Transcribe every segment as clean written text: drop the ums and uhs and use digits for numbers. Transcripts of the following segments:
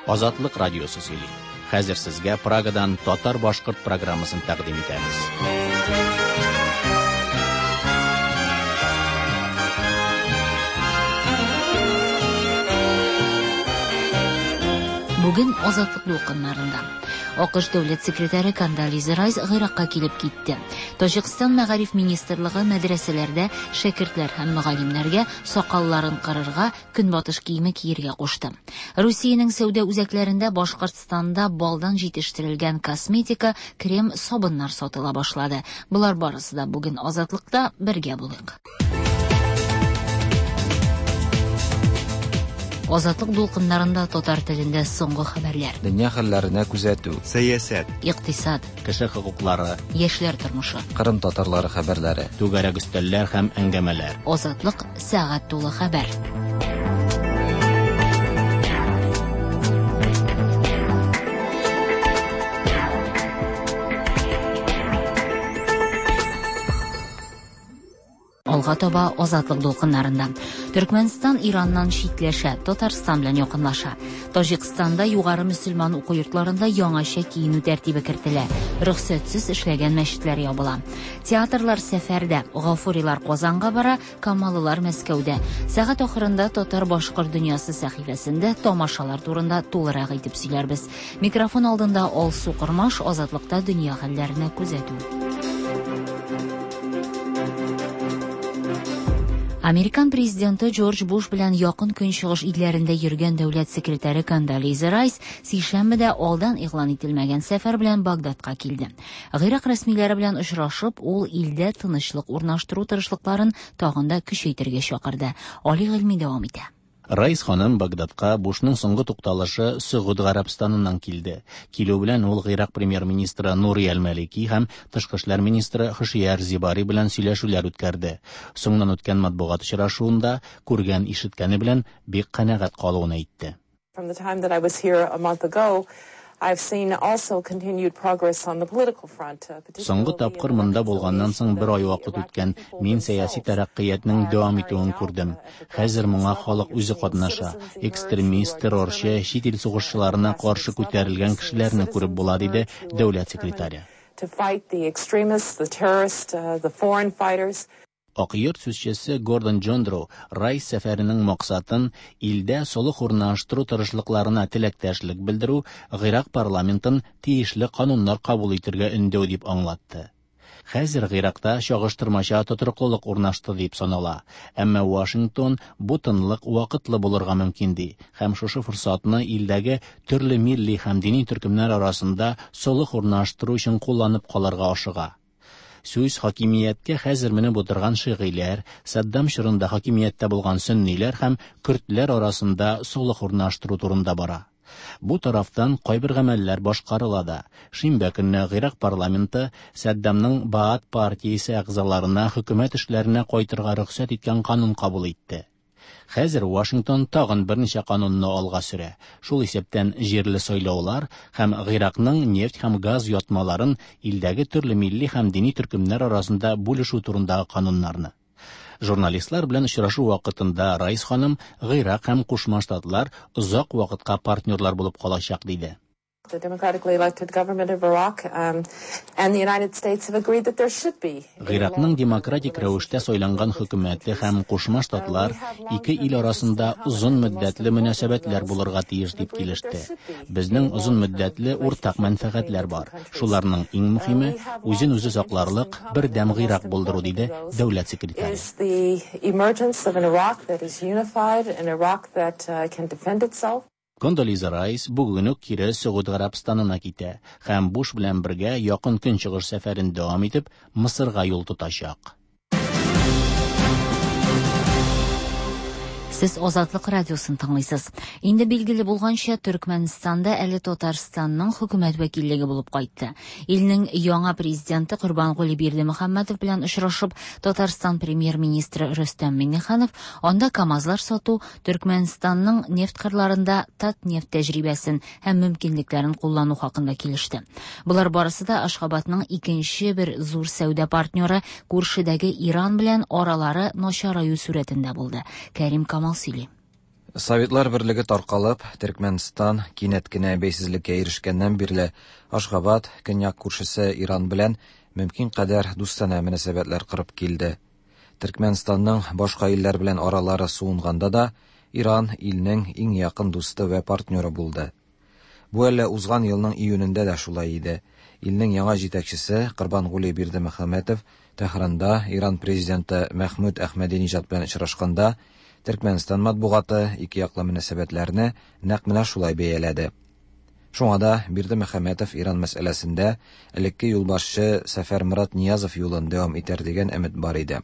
Азатлык радиосы сөйли. Хәзер сезгә Прагадан татар-башкорт программасын тәкъдим итәбез. Бүген Азатлык дулкыннарында. АКШ дәүләт секретаре Кондолиза Райс Гыйракка килеп китте. Таҗикстан мәгариф министрлыгы мәдрәсәләрдә шәкертләр һәм мөгаллимнәргә сакалларын кырырга, көнбатыш киеме киергә кушты. Русиянең сәүдә үзәкләрендә Башкортстанда балдан җитештерелгән косметика, крем, сабыннар сатыла башлады. Болар барысы да бүген Азатлыкта бергә булыйк. Азатлык дулкыннарында татар телендә соңгы хәбәрләр. Дөнья хәлләренә күзәтү. Сәясәт. Икътисад. Кеше хокуклары. Яшьләр тормышы. Кырым татарлары хәбәрләре. Түгәрәк өстәлләр һәм әңгәмәләр. Азатлык сәгать тулы хәбәр. Алга таба Азатлык дулкыннарында. Төркмәнстан Ираннан читләшә, Татарстан белән якынлаша. Таҗикстанда югары мөселман уку йортларында яңача киенү тәртибе кертелә. Рөхсәтсез эшләгән мәчетләр ябыла. Театрлар сәфәрдә, Гафурилар Казанга бара, Камалылар Мәскәүдә. Сәгать ахырында Татар-башкорт дөньясы сәхифәсендә тамашалар турында тулырак итеп сөйләрбез. Микрофон алдында Алсу Кормаш, Азатлыкта дөнья хәлләренә күзәтү. Американ президенты Джордж Буш белән Якын Көнчыгыш илләрендә йөргән дәүләт секретаре Кондолиза Райс сишәмбедә алдан игълан ителмәгән сәфәр белән Багдадка килде. Гыйрак рәсмиләре белән очрашып, ул илдә тынычлык урнаштыру тырышлыкларын тагын да көчәйтергә чакырды. Али Гыйльми дәвам итә. Райс ханым Багдадка Бушның соңгы тукталышы Сөгуд Гарәбстаныннан килде. Килү белән ул Гыйрак премьер-министры Нури әл-Малики һәм тышкы эшләр министры Хошияр Зибари белән сөйләшүләр үткәрде. Соңыннан үткән матбугат очрашуында күргән ишеткәне белән бик канәгать калуын әйтте. From the time that I was here a month ago, I've seen also continued progress on the political front. Соңгы тапкыр монда булганнан соң бер ай вакыт үткән. Мин сәяси тәрәккыятьнең дәвам итүен күрдем. Хәзер моңа халык үзе катнаша. Экстремист, террорчы, чит ил сугышчыларына каршы күтәрелгән кешеләрне күреп була, диде дәүләт секретаре. To fight the extremists, the terrorists, the foreign fighters. Ак йорт сүзчесе Гордон Джондро Райс сәфәренең максатын илдә солых урнаштыру тырышлыкларына теләктәшлек белдерү, Гыйрак парламентын тиешле кануннар кабул итергә өндәү дип аңлатты. Хәзер Гыйракта чагыштырмача тотрыклылык урнашты дип санала. Әмма Вашингтон бу тынлык вакытлы булырга мөмкин ди һәм шушы форсатны илдәге төрле милли һәм дини төркемнәр арасында солых урнаштыру өчен кулланып калырга ашыга. Сүз хакимияткә хәзер менеп утырган шигыйләр, Саддам чорында хакимияттә булган сөнниләр һәм көрдләр арасында солых урнаштыру турында бара. Бу тарафтан кайбер гамәлләр башкарыла да. Шимбә көнне Гыйрак парламенты Саддамның Баат партиясе әгъзаларына хөкүмәт эшләренә кайтырга рөхсәт иткән канун кабул итте. Хәзер Вашингтон тагын берничә канунны алга сөрә. Шул исәптән җирле сайлаулар һәм Гыйракның нефть һәм газ ятмаларын илдәге төрле милли һәм дини төркемнәр арасында бүлешү турындагы кануннарны. Журналистлар белән очрашу вакытында Райс ханым Гыйрак һәм Кушма Штатлар озак вакытка партнерлар булып калачак диде. The democratically elected government of Iraq and the United States have agreed that there should be. Гыйракның демократик рәвештә сайланган хөкүмәте һәм Кушма Штатлар ике ил арасында озын мөддәтле мөнәсәбәтләр булырга тиеш дип килеште. Безнең озын мөддәтле уртак мәнфәгатьләр бар. Шуларның иң мөһиме үзен үзе сакларлык бердәм Гыйрак булдыру, диде дәүләт секретаре. Is the emergence of an Iraq that is unified, an Iraq that can defend itself. Кондолиза Райс бүген үк кире Сөгуд Гарәбстанына китә һәм Буш белән бергә Якын Көнчыгыш сәфәрен дәвам итеп, Мысырга юл тотачак. Сез Азатлык радиосын тыңлыйсыз. Инде билгеле булганча, Төркмәнстанда әле Татарстанның хөкүмәт вәкиллеге булып кайтты. Илнең яңа президенты Корбангули Бердымөхәммәтов белән очрашып, Татарстан премьер-министры Рөстәм Миңнеханов анда КАМАЗлар сату, Төркмәнстанның нефть кырларында Татнефть тәҗрибәсен һәм мөмкинлекләрен куллану хакында килеште. Болар барысы да Ашхабадның икенче бер зур сәүдә партнеры күршедәге Иран белән аралары начараю сурәтендә булды. Кәрим Камал сөйли. Советлар берлеге таркалып, Төркмәнстан кинәт кенә бәйсезлеккә ирешкәннән бирле Ашгабад көньяк күршесе Иран белән мөмкин кадәр дустанә мөнәсәбәтләр корып килде. Төркмәнстанның башка илләр белән аралары суынганда да Иран илнең иң якын дусты вә партнеры булды. Бу әле узган елның июнендә дә шулай иде. Илнең яңа җитәкчесе Корбангули Бирдемөхәммәтов Тәһранда Иран президенты Мәхмүд Әхмәдиниҗат белән очрашканда Төркмәнстан матбугаты икеяклы мөнәсәбәтләрне нәкъ менә шулай бәяләде. Шуңа да Бирдемөхәммәтов Иран мәсьәләсендә элекке юлбашчы Сәфәрморат Ниязов юлын дәвам итәр дигән өмет бар иде.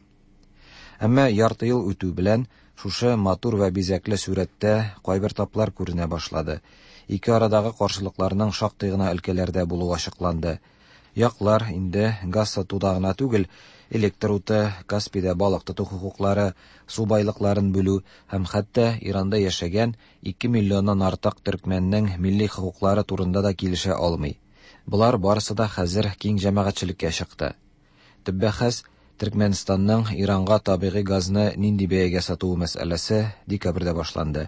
Әмма ярты ел үтү белән шушы матур вә бизәкле сурәттә кайбер таплар күренә башлады. Ике арадагы каршылыкларның шактый гына өлкәләрдә булуы ачыкланды. Яклар инде газ сатуда гына түгел, электр уты, Каспийда балык тоту хокуклары, су байлыкларын бүлү һәм хәтта Иранда яшәгән 2 миллионнан артык төркмәннең милли хокуклары турында да килешә алмый. Болар барысы да хәзер киң җәмәгатьчелеккә чыкты. Төп бәхәс Төркмәнстанның Иранга табигый газны нинди бәягә сатуы мәсьәләсе декабрьдә башланды.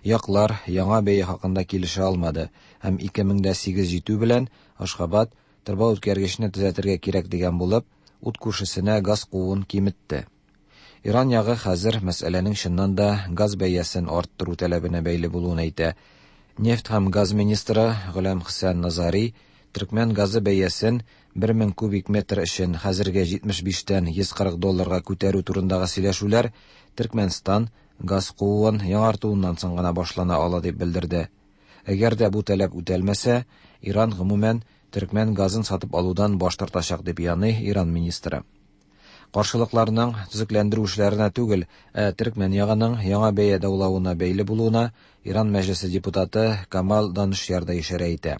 Яклар яңа бәя хакында килешә алмады һәм 2008 җитү белән Ашхабад торба үткәргечне төзәтергә кирәк дигән булып, ут күршесенә газ кууын киметте. Иран ягы хәзер мәсьәләнең чыннан да газ бәясен арттыру таләбенә бәйле булуын әйтә. Нефть һәм газ министры Голәм Хөсән Назари төркмән газы бәясен 1000 кубик метр өчен хәзерге 75-тән 140 долларга күтәрү турындагы сөйләшүләр Төркмәнстан газ кууын яңартуыннан соң гына башлана ала дип белдерде. Әгәр дә бу таләп үтәлмәсә, Иран гомумән төркмән газын сатып алудан баш тартачак дип яный Иран министры. Каршылыкларның төзекләндерү эшләренә түгел, ә төркмән ягының яңа бәя даулавына бәйле булуына Иран мәҗлесе депутаты Камал Данышяр да ишарә итә.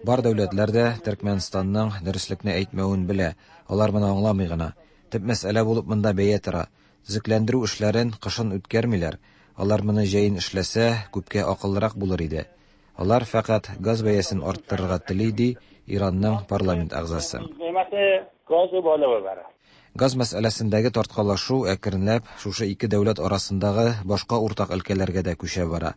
Бар дәүләтләр дә Төркмәнстанның дөреслекне әйтмәвен белә, алар моны аңламый гына. Төп мәсьәлә булып монда бәя тора. Төзекләндерү эшләрен кышын үткәрмиләр. Алар моны җәен эшләсә, күпкә акыллырак булыр иде. Алар фәкать газ бәясен арттырырга тели, ди Иранның парламент әгъзасы. Газ мәсьәләсендәге тарткалашу әкренләп шушы ике дәүләт арасындагы башка уртак өлкәләргә дә күчә бара.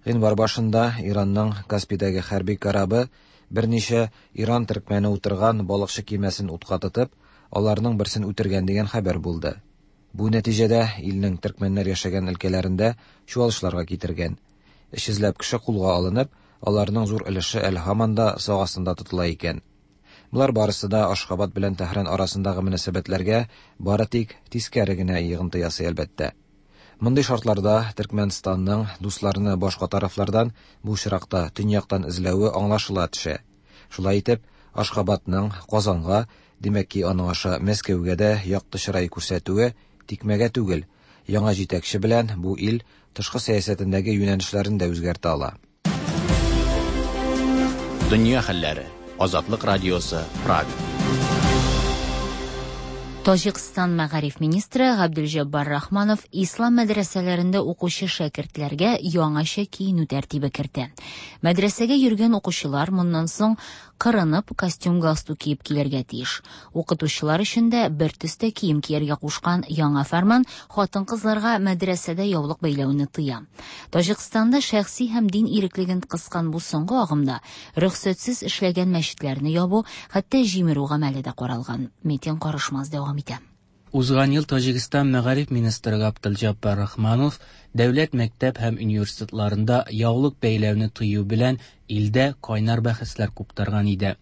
Гыйнвар башында Иранның Каспийдәге хәрби корабы берничә Иран төркмәне утырган балыкчы кимәсен утка тотып, аларның берсен үтергән дигән хәбәр булды. Бу нәтиҗәдә илнең төркмәннәр яшәгән өлкәләрендә чуалышларга китергән. 300ләп кеше кулга алынып, аларның зур өлеше әле һаман да сак астында тотыла икән. Болар барысы да Ашхабад белән Тәһран арасындагы мөнәсәбәтләргә бары тик тискәре генә йогынты ясый, әлбәттә. Мондый шартларда Төркмәнстанның дусларны башка тарафлардан, бу очракта төньяктан эзләве аңлашыла төшә. Шулай итеп, Ашхабадның Казанга, димәк ки, аның аша Мәскәүгә дә якты чырай күрсәтүе тикмәгә түгел, яңа җитәкче белән бу ил тышкы сәясәтендәге юнәлешләрен дә үзгәртә ала. Дөнья хәлләре. Азатлык радиосы, Прага. Таҗикстан мәгариф министры Габделҗаббар Рахманов ислам мәдрәсәләрендә укучы шәкертләргә яңача киенү тәртибе кертә. Мәдрәсәгә йөргән укучылар моннан соң кырынып костюм-галстук киеп килергә тиеш. Укытучылар өчен дә бер төстә кием кияргә кушкан яңа фәрман хатын-кызларга мәдрәсәдә яулык бәйләүне тыя. Таҗикстанда шәхси һәм дин иреклеген кыскан бу соңгы агымда рөхсәтсез эшләгән мәчетләрне ябу, хәтта җимерү гамәле дә каралган. Метин Карышмаз дәвам итә. Узган ел Таҗикстан мәгариф министры Габделҗаббар Рахманов дәүләт мәктәп һәм университетларында яулык бәйләүне тыю белән илдә кайнар бәхәсләр куптарган иде.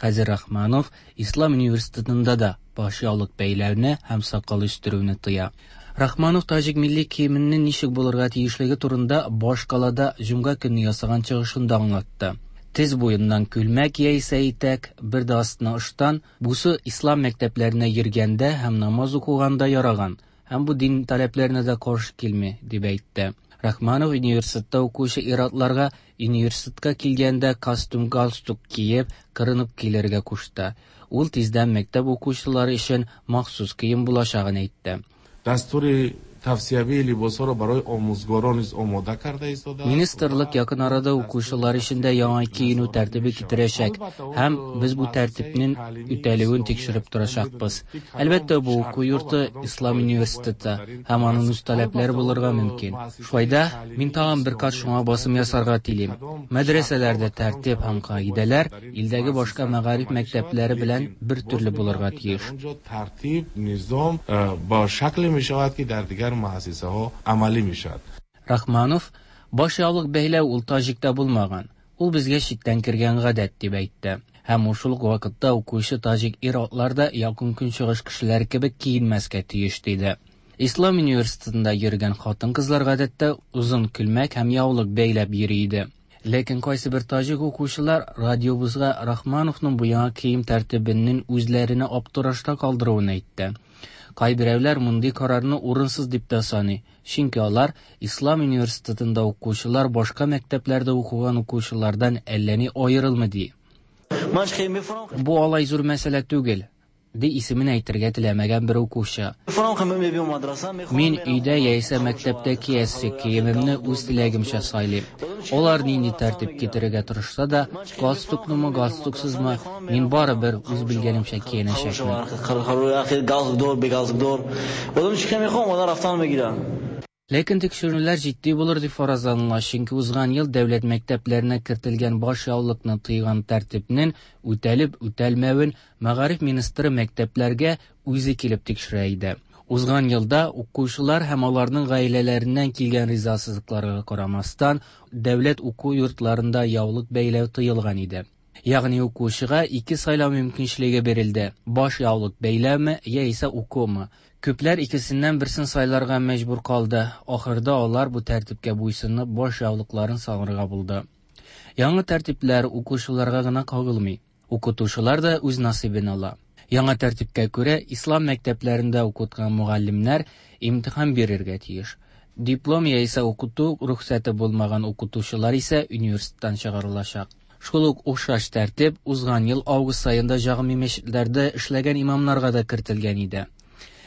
Хәзер Рахманов Ислам университетында да баш яулык бәйләүне һәм сакал үстерүне тыя. Рахманов таҗик милли киеменең ничек булырга тиешлеге турында башкалада җомга көнне ясаган чыгышында аңлатты. Тез буеннан күлмәк яисә итәк, бер дә астына ыштан, бусы ислам мәктәпләренә йөргәндә һәм намаз укыганда яраган һәм бу дин таләпләренә дә каршы килми, дип әйтте. Рахманов университетта укучы ир-атларга университетка килгәндә костюм-галстук киеп, кырынып килергә кушты. Ул тиздән мәктәп укучылары өчен махсус кием булачагын әйтте. Дастури Тавсиявии либосҳоро барои омӯзгорон низ омода карда истодааст. Министрлык якын арада укучылар өчен дә яңа киенү тәртибе китерәчәк һәм без бу тәртипнең үтәлүен тикшереп торачакбыз. Әлбәттә, бу уку йорты Ислам университеты һәм аның үз таләпләре булырга мөмкин. Шулай да, мин тагын бер кат шуңа басым ясарга телим. Мәдрәсәләрдә тәртип һәм кагыйдәләр илдәге башка мәгариф мәктәпләре белән бер төрле булырга тиеш. Дар он ҷо тартиб, низом бо шакле мешавад, ки дар дигар муассисаҳо амалӣ мешавад. Рахманов, баш яулык бәйләү ул таҗикта булмаган, ул безгә читтән кергән гадәт, дип әйтте. Һәм ул шул ук вакытта укучы таҗик ир-атлар да Якын Көнчыгыш кешеләре кебек киенмәскә тиеш, диде. Ислам университетында йөргән хатын-кызлар гадәттә озын күлмәк һәм яулык бәйләп йөри иде. Ләкин кайсыбер таҗик укучылар радиобызга Рахмановның бу яңа кием тәртибенең үзләренә аптырашта калдыруын әйтте. Кайберәүләр мондый карарны урынсыз дип тә саный, чөнки алар Ислам университетында укучылар башка мәктәпләрдә укыган укучылардан әллә ни аерылмый ди. Бу алай зур мәсьәлә түгел, ди исемен әйтергә теләмәгән бер укучы. Мин өйдә яисә мәктәптә киясе киемемне үз теләгемчә сайлыйм. Алар нинди тәртип китерергә тырышса да, галстуклымы, галстуксызмы, мин барыбер үз белгәнемчә киенәчәкмен. Ләкин тикшерүләр җитди булыр дип фаразланыла, чөнки узган ел дәүләт мәктәпләренә кертелгән баш яулыкны тыйган тәртипнең үтәлеп-үтәлмәвен мәгариф министры мәктәпләргә үзе килеп тикшерә иде. Узган елда укучылар һәм аларның гаиләләреннән килгән ризасызлыкларга карамастан, дәүләт уку йортларында яулык бәйләү тыелган иде. Ягъни укучыга ике сайлау мөмкинчелеге бирелде: баш яулык бәйләүме яисә укумы. Күпләр икесеннән берсен сайларга мәҗбүр калды. Ахырда алар бу тәртипкә буйсынып, баш яулыкларын салырга булды. Яңа тәртипләр укучыларга гына кагылмый. Укытучылар да үз насыйбын ала. Яңа тәртипкә күрә, ислам мәктәпләрендә укыткан мөгаллимнәр имтихан бирергә тиеш. Диплом яисә укыту рөхсәте булмаган укытучылар исә университеттан чыгарылачак. Шул ук охшаш тәртип узган ел август аенда җәмигъ мәчетләрдә эшләгән имамнарга да кертелгән иде.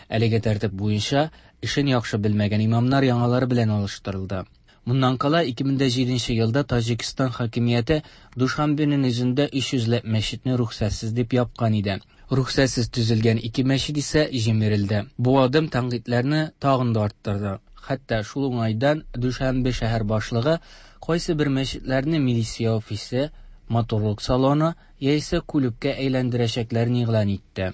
Әлеге тәртип буенча эшен яхшы белмәгән имамнар яңалары белән алыштырылды. Моннан кала 2007 елда Таҗикстан хакимияте Душанбеның үзендә 300 ләп мәчетне рөхсәтсез дип япкан иде. Рөхсәтсез төзелгән ике мәчет исә җимерелде. Бу адым тәнкыйтьләрне тагын да арттырды. Хәтта шул уңайдан Душанбе шәһәр башлыгы кайсы бер мәчетләрне милиция офисы, матурлык салоны яисә клубка әйләндерәчәкләрен игълан итте.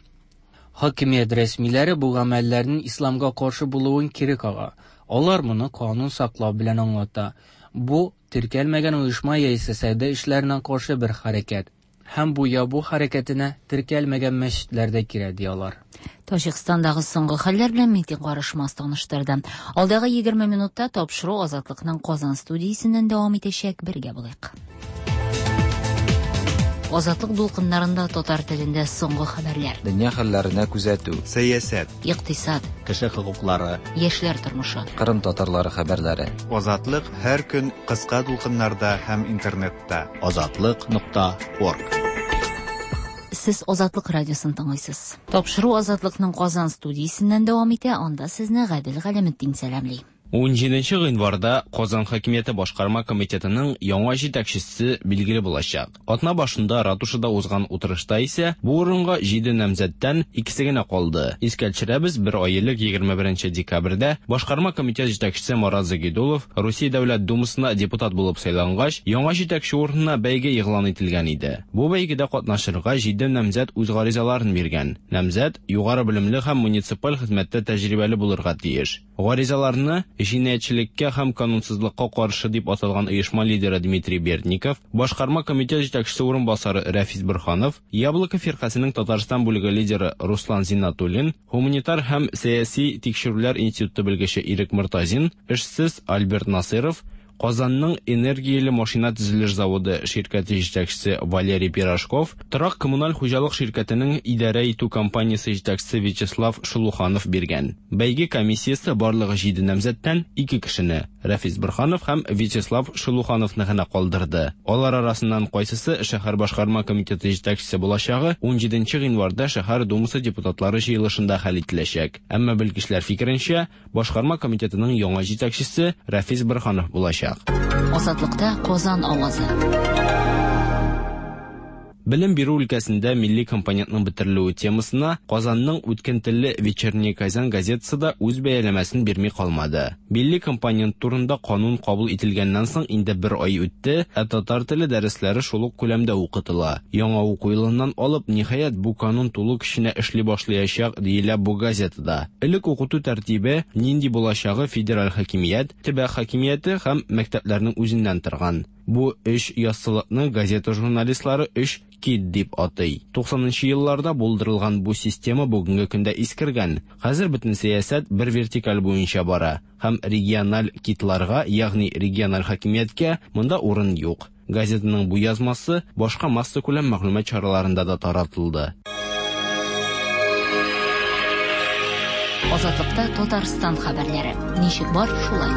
Хакимият рәсмиләре бу гамәлләрнең исламга каршы булуын кире кага. Алар моны канун саклау белән аңлата. Бу теркәлмәгән оешма яисә сәүдә эшләренә каршы бер хәрәкәт. Һәм бу ябу хәрәкәтенә теркәлмәгән мәчетләр дә керә, ди алар. Таҗикстандагы соңгы хәлләр белән Митин Карышмас таныштырды. Алдагы 20 минутта тапшыру Азатлыкның Казан студиясеннән дәвам итәчәк. Бергә булыйк. Азатлык дулкыннарында татар телендә соңгы хәбәрләр. Дөнья хәлләренә күзәтү. Сәясәт. Икътисад. Кеше хокуклары. Яшьләр тормышы. Кырым татарлары хәбәрләре. Азатлык һәр көн кыска дулкыннарда һәм интернетта. Азатлык.орг. Сез Азатлык радиосын тыңлыйсыз. Тапшыру Азатлыкның Казан студиясеннән дәвам итә. Анда сезне Гадел Галәметдин сәламли. 17 гыйнварда Казан хакимияте башкарма комитетының яңа җитәкчесе билгеле булачак. Атна башында ратушада узган утырышта исә бу урынга 7 намзәттән икесе генә калды. Искә төшерәбез, бер ай элек 21 декабрьдә башкарма комитет җитәкчесе Марат Загидулов Русия Дәүләт Думасына депутат булып сайлангач, яңа җитәкче урынына бәйге игълан ителгән иде. Бу бәйгедә катнашырга 7 намзәт үз гаризаларын биргән. Намзәт югары белемле һәм муниципаль хезмәттә тәҗрибәле булырга тиеш. Гаризаларны җинаятьчелеккә һәм канунсызлыкка каршы дип аталган оешма лидеры Дмитрий Бердников, башкарма комитет җитәкчесе урынбасары Рәфис Борһанов, Яблоко фиркасының Татарстан бүлеге лидеры Руслан Зиннатуллин, гуманитар һәм сәяси тикшерүләр институты белгече Ирек Мортазин, эшсез Альберт Насыров, Казанның энергияле машина төзелеш заводы ширкәте җитәкчесе Валерий Пирожков, торак коммуналь хуҗалык ширкәтенең идарә итү компаниясе җитәкчесе Вячеслав Шелуханов биргән. Бәйге комиссиясе барлыгы 7 намзәттән 2 кешене, Рәфис Борһанов һәм Вячеслав Шелухановны гына калдырды. Алар арасыннан кайсысы шәһәр башкарма комитеты җитәкчесе булачагы 17 гыйнварда шәһәр думасы депутатлары җыелышында хәл ителәчәк. Әмма белгечләр фикеренчә, башкарма комитетының яңа җитәкчесе Рәфис Борһанов булачак. Азатлыкта Казан авазы. Белем бирү өлкәсендә милли компонентның бетерелүе темасына Казанның үткен телле Вечерняя Казань газетасы да үз бәяләмәсен бирми калмады. Милли компонент турында канун кабул ителгәннән соң инде бер ай үтте, ә татар теле дәресләре шул ук күләмдә укытыла. Яңа уку елыннан алып, ниһаять, бу канун тулы көченә эшли башлаячак, диелә бу газетада. Элек укыту тәртибе нинди булачагы федераль хакимият, төбәк хакимияте һәм мәктәпләрнең үзеннән торган. Бу өч яссылыкны газета журналистлары өч кит дип атый. 90нчы елларда булдырылган бу система бүгенге көндә искергән. Хәзер бөтен сәясәт бер вертикаль буенча бара һәм региональ китларга, ягъни региональ хакимияткә монда урын юк. Газетаның бу язмасы башка массакүләм мәгълүмат чараларында да таратылды. Азатлыкта Татарстан хәбәрләре. Ничек бар, шулай.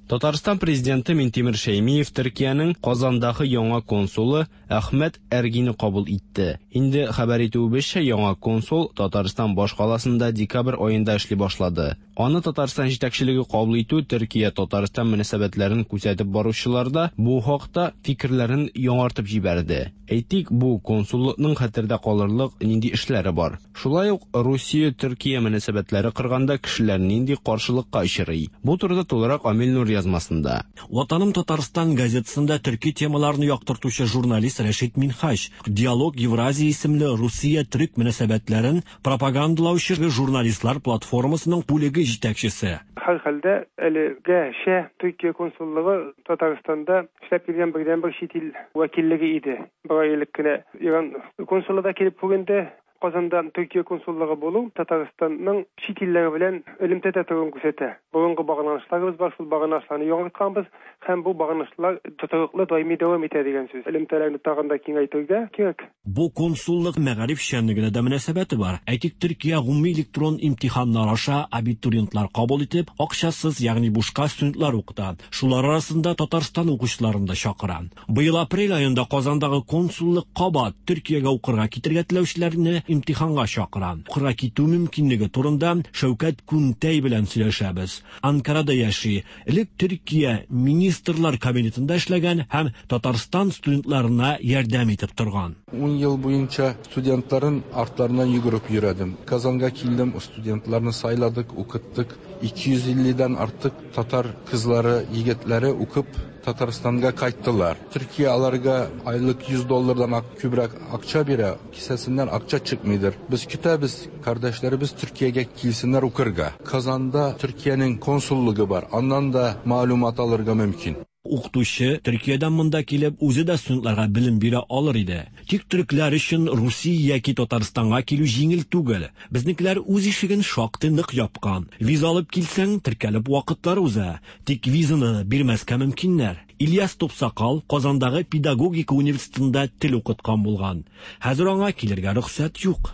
Татарстан президенты Минтимер Шәймиев Төркиянең Казандагы яңа консулы Әхмәт Әргине кабул итте. Инде хәбәр итүебезчә, яңа консул Татарстан башкаласында декабрь аенда эшли башлады. Аны Татарстан җитәкчелеге кабул итү Төркия-Татарстан мөнәсәбәтләрен күзәтеп баручылар да бу хакта фикерләрен яңартып җибәрде. Әйтик, бу консуллыкның хәтердә калырлык нинди эшләре бар? Шулай ук Русия-Төркия мөнәсәбәтләре корганда кешеләр нинди каршылыкка очрый? Бу турыда тулырак Амил Нур язмасында. Ватаным Татарстан газетасында төрки темаларны яктыртучы журналист Рәшит Минһаҗ Диалог Евразия исемле Русия-төрек мөнәсәбәтләрен пропагандалаучы журналистлар платформасының бүлеге җитәкчесе. Һәрхәлдә әлегәчә Төркия консуллыгы Татарстанда эшләп килгән бердәнбер чит ил вәкиллеге иде. Бер ай элек кенә Иран консулы да килеп күренде. Казанда Төркия консуллыгы булу Татарстанның чит илләре белән элемтәдә торуын күрсәтә. Борынгы багланышларыбыз бар, шул багланышларны яңартканбыз һәм бу багланышлар тотрыклы даими дәвам итә дигән сүз. Элемтәләрне тагын да киңәйтергә кирәк. Бу консуллык мәгариф эшчәнлегенә дә мөнәсәбәте бар. Әйтик, Төркия гомуми электрон имтиханнар аша абитуриентлар кабул итеп, акчасыз, ягъни бушка студентлар укыта. Шулар арасында Татарстан укучыларын да чакыра. Быел апрель аенда Казандагы консуллык кабат Төркиягә укырга китергә теләүчеләрне имтиханга чакыра. Укырга китү мөмкинлеге турында Шәүкәт Күнтәй белән сөйләшәбез. Анкарада яши. Элек Төркия министрлар кабинетында эшләгән һәм Татарстан студентларына ярдәм итеп торган. 10 ел буенча студентларын артларынан йөгереп йөрдем. Казанга килдем, студентларны сайладык, укыттык. 250дән артык татар кызлары, егетләре укып Татарстанга кайттылар. Төркия аларга айлык 100 доллардан күбрәк акча бирә, кесәсеннән акча чыкмыйдыр. Без көтәбез, кардәшләребез Төркиягә килсеннәр укырга. Казанда Төркиянең консуллыгы бар, аннан да мәгълүмат алырга мөмкин. Укытучы Төркиядән монда килеп, үзе дә студентларга белем бирә алыр иде. Тик төрекләр өчен Русия яки Татарстанга килү җиңел түгел. Безнекеләр үз ишеген шактый нык япкан. Виза алып килсәң, теркәлеп вакытлар уза. Тик визаны бирмәскә мөмкиннәр. Ильяс Топсакал Казандагы педагогика университетында тел укыткан булган. Хәзер аңа килергә рөхсәт юк.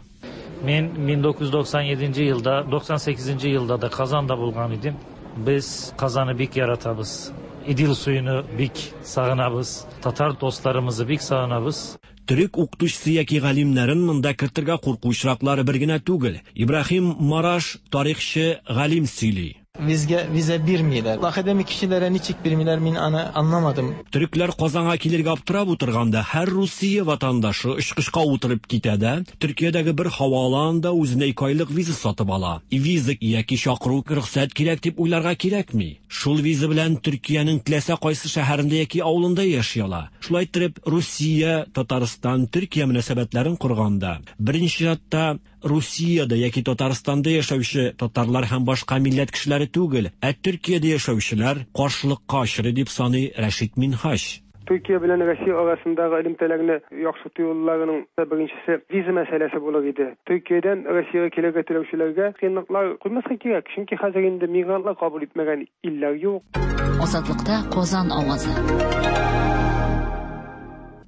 Мен 1997 yılda, 98 yılda da Kazan'da bulgan idim. Biz Kazan'ı bik yaratabız. İdil suyunu bik sağınabız. Tatar dostlarımızı bik sağınabız. Төрек укытучысы яки галимнәрен монда кертергә курку очраклары бер генә түгел. Ибраһим Мараш тарихчы галим сөйли. Bizge vize birmiler. Akademik kişilere niçik birmiler min ana anlamadım. Төрекләр Казанга килергә аптырап утырганда һәр Русия ватандашы очкычка утырып китә дә, Төркиядәге бер һаваланда үзенә 2 айлык виза сатып ала. Виза яки чакыру рөхсәт кирәк дип уйларга кирәкми. Шул виза белән Төркиянең теләсә кайсы шәһәрендә яки авылында яши ала. Шулай итеп, Русия, Татарстан, Төркия мөнәсәбәтләрен корганда, беренче чиратта Русиядә яки Татарстанда яшәүче татарлар һәм башка милләт кешеләре түгел, ә Төркиядә яшәүчеләр каршылыкка очрый дип саный Рәшит Минһаҗ. Төркия белән Россия арасындагы элемтәләрне яхшырту юлларының беренчесе виза мәсьәләсе булыр иде. Төркиядән Россиягә килергә теләүчеләргә кыенлыклар куймаска кирәк, чөнки хәзер инде мигрантлар кабул итмәгән илләр юк. Азатлыкта Казан авазы.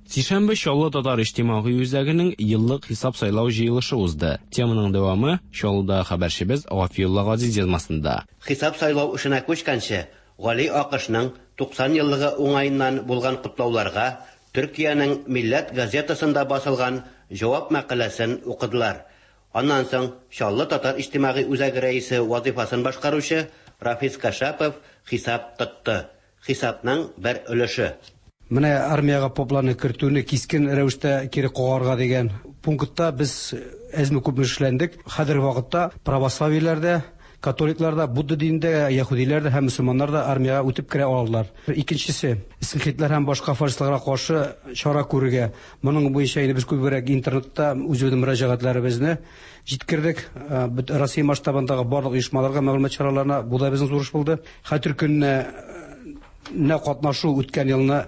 Сишәмбе Чаллы татар иҗтимагый үзәгенең еллык хисап-сайлау җыелышы узды. Теманың дәвамы Чаллыдагы хәбәрчебез Гафиулла Газиз язмасында. Хисап-сайлау эшенә күчкәнче, Гали Акышның 90 еллыгы уңаеннан булган котлауларга Төркиянең Милләт газетасында басылган җавап мәкаләсен укыдылар. Аннан соң Чаллы татар иҗтимагый үзәге рәисе вазыйфасын башкаручы Рафис Кашапов хисап тотты. Хисапның бер өлеше. Менә армиягә попларны кертүне кискен рәвештә кире кагарга дигән пунктта без әзме-күпме эшләндек. Хәзерге вакытта православиеләр дә, католиклар да, Будда динендә, яһүдиләр дә һәм мөселманнар да армиягә үтеп керә алалар. Икенчесе, скинхедлар һәм башка фашистларга каршы чара күрергә. Моның буенча инде без күбрәк интернетта үзебезнең мөрәҗәгатьләребезне җиткердек. Россия масштабындагы барлык оешмаларга, мәгълүмат чараларына бу да безнең зур эш булды. Хәтер көненә нә катнашу үткән елны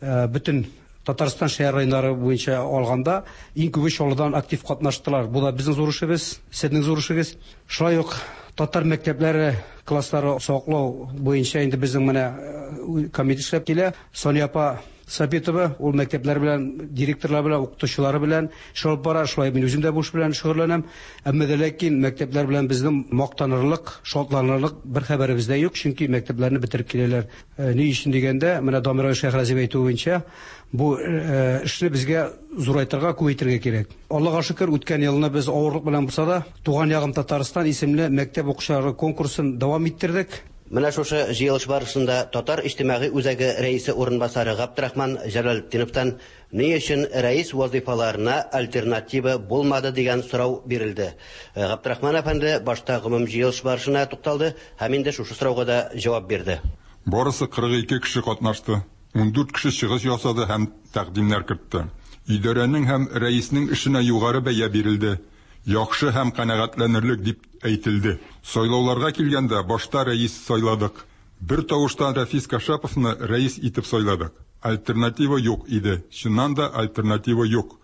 бөтен Татарстан шәһәр районнары буенча алганда иң күбе Чаллыдан актив катнаштылар. Бу да безнең зур эшебез, сезнең зур эшегез. Шулай ук татар мәктәпләре класслары саклау буенча инде безнең менә комитет эшләп килә. Сания апа Сабитова ул мәктәпләр белән, директорлар белән, укытучылары белән эш алып бара. Шулай мин үзем дә бу эш белән шөгыльләнәм. Әмма дә ләкин мәктәпләр белән безнең мактанырлык, шатланырлык бер хәбәребез дә юк, чөнки мәктәпләрне бетереп киләләр. Ни өчен дигәндә, менә Дамир абый Шәйхразиев әйтүе буенча, бу эшне безгә зурайтырга, күбәйтергә кирәк. Аллага шөкер, үткән елны без авырлык белән булса да, Туган ягым Татарстан исемле мәктәп укучылары конкурсын дәвам иттердек. Менә шушы җыелыш барышында Татар иҗтимагый үзәге рәисе урынбасары Габдрахман Җәләлетдиновтан ни өчен рәис вазыйфаларына альтернатива булмады дигән сорау бирелде. Габдрахман әфәнде башта гомум җыелыш барышына тукталды һәм инде шушы сорауга да җавап бирде. Барысы 42 кеше катнашты, 14 кеше чыгыш ясады һәм тәкъдимнәр кертте. Идарәнең һәм рәиснең эшенә югары бәя бирелде. Яхшы һәм канәгатьләнерлек дип әйтелде. Сайлауларга килгәндә, башта рәис сайладык. Бер тавыштан Рәфис Кашаповны рәис итеп сайладык. Альтернатива юк иде. Чыннан да альтернатива юк.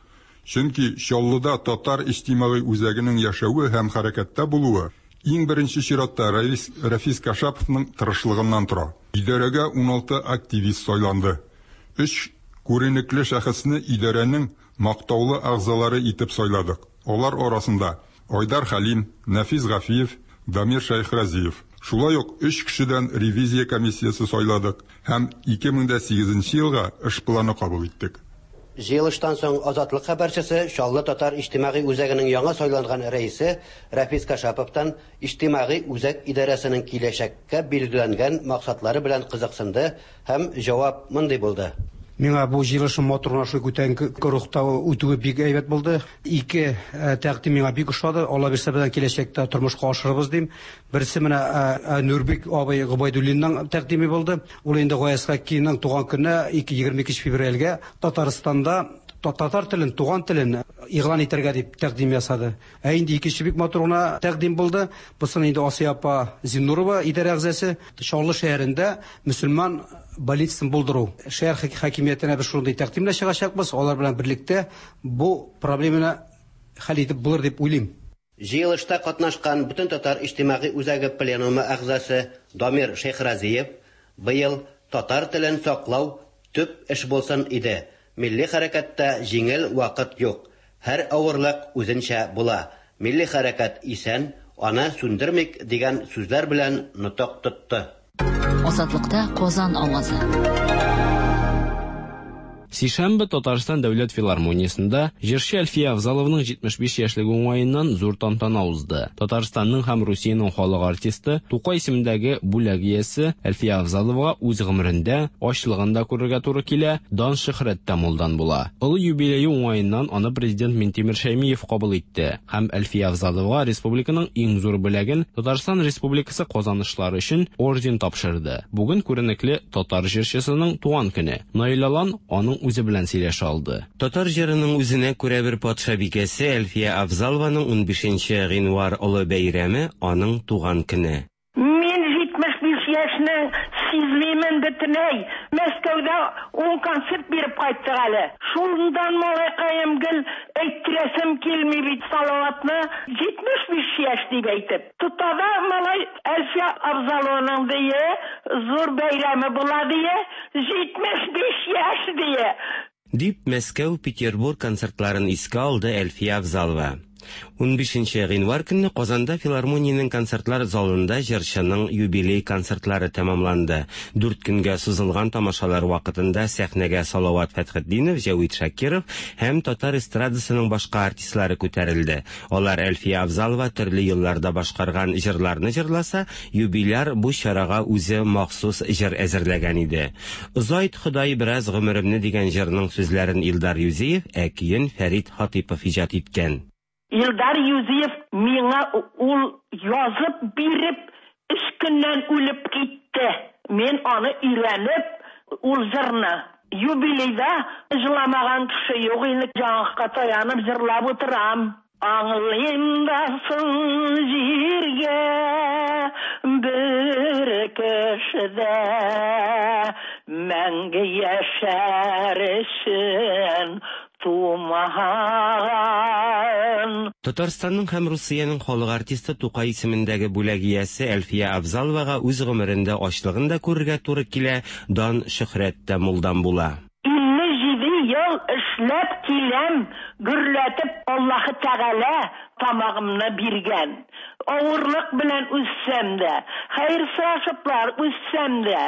Чөнки Чаллыда татар иҗтимагый үзәгенең яшәве һәм хәрәкәттә булуы иң беренче чиратта рәис Рәфис Кашаповның тырышлыгыннан тора. Идарәгә 16 активист сайланды. Өч күренекле шәхесне идарәнең мактаулы әгъзалары итеп сайладык. Алар арасында Айдар Хәлим, Нәфис Гафиев, Дамир Шәйхразиев. Шулай ук өч кешедән ревизия комиссиясе сайладык һәм 2008 нче елга эш планы кабул иттек. Җыелыштан соң Азатлык хәбәрчесе Чаллы татар иҗтимагый үзәгенең яңа сайланган рәисе Рәфис Кашаповтан иҗтимагый үзәк идарәсенең киләчәккә билгеләнгән максатлары белән кызыксынды һәм җавап мондый булды. Миңа бу җыелышның матур гына шулай күтәренке рухта үтүе бик әйбәт булды. Ике тәкъдим миңа бик ошады. Алла бирсә, безнең киләчәктә тормышка ашырырбыз дим. Берсе менә Нурбек абый Гобәйдуллинның тәкъдиме булды. Ул инде Гаяз Хәккиның туган көненә, 22 февральгә Татарстанда татар телен, туган телен игълан итәргә дип тәкъдим ясады. Ә инде икенче бик матур гына тәкъдим булды. Бусын инде Асия апа Зиннурова, идарә әгъзасы, Чаллы шәһәрендә мөселман больницасын булдыру. Шәһәр хакимиятенә без шундый тәкъдим белән чыгачакбыз. Алар белән берлектә бу проблеманы хәл итеп булыр дип уйлыйм. Җыелышта катнашкан Бөтентатар иҗтимагый үзәге пленумы әгъзасы Дамир Шәйхразиев, Быел татар телен саклау төп эш булсын иде. Милли хәрәкәттә җиңел вакыт юк. Һәр авырлык үзенчә була. Милли хәрәкәт исән, аны сүндермик, дигән сүзләр белән нотык тотты. Азатлыкта Казан авазы. Сишәмбе Татарстан дәүләт филармониясендә җырчы Әлфия Авзалованың 75 яшьлеге уңаеннан зур тантана узды. Татарстанның һәм Русиянең халык артисты, Тукай исемендәге бүләк иясе Әлфия Авзаловага үз гомерендә ачлыгын да күрергә туры килә, дан-шөһрәт тә мулдан була. Олы юбилее уңаеннан аны президент Минтимер Шәймиев кабул итте һәм Әлфия Авзаловага республиканың иң зур бүләген, Татарстан Республикасы казанышлары өчен орден тапшырды. Бүген күренекле татар җырчысының туган көне. Наил Алан аның үзе белән сөйләшә алды. Татар җырының үзенә күрә бер патшабикәсе Әлфия Авзалованың унбишенче гыйнвар олы бәйрәме, аның туган көне. Мин 75 яшьне сизмимен бөтенләй. Мәскәүдә ун концерт биреп кайттык әле. Шундан малайкаем гел әйттерәсем килми бит Салаватны 75 яшь дип әйтеп. Тота да малай Әлфия Авзалованың дие, зур бәйрәме була дие, 75 яшь дие. Дип, Мәскәү, Петербург концертларын искә алды Әлфия Авзалова. 15 гыйнвар көнне Казанда филармониянең концертлар залында җырчының юбилей концертлары тәмамланды. Дүрт көнгә сузылган тамашалар вакытында сәхнәгә Салават Фәтхетдинов, Җәвит Шакиров һәм татар эстрадасының башка артистлары күтәрелде. Алар Әлфия Авзалова төрле елларда башкарган җырларны җырласа, юбиляр бу чарага үзе махсус җыр әзерләгән иде. Озайт, Ходай, бераз гомеремне дигән җырның сүзләрен Илдар Юзиев, ә көен Фәрит Хатыйпов иҗат иткән. Илдар Юзиев миңа ул язып биреп, өч көннән үлеп китте. Мин аны өйрәнеп, ул җырны юбилейда җыламаган кеше юк инде, яңакка таянып җырлап утырам. Аңлыйм да соң җиргә бер кеше дә мәңге яшәр өчен тумаган. Татарстанның һәм Русиянең халык артисты Тукай исемендәге бүләк иясе Әлфия Авзаловага үз гомерендә ачлыгын да күрергә туры килә, дан-шөһрәт тә мулдан була. 57 ел эшләп киләм, гөрләтеп Аллаһы Тәгалә тамагымны биргән. Авырлык белән үссәм дә, хәер сорашыплар үссәм дә,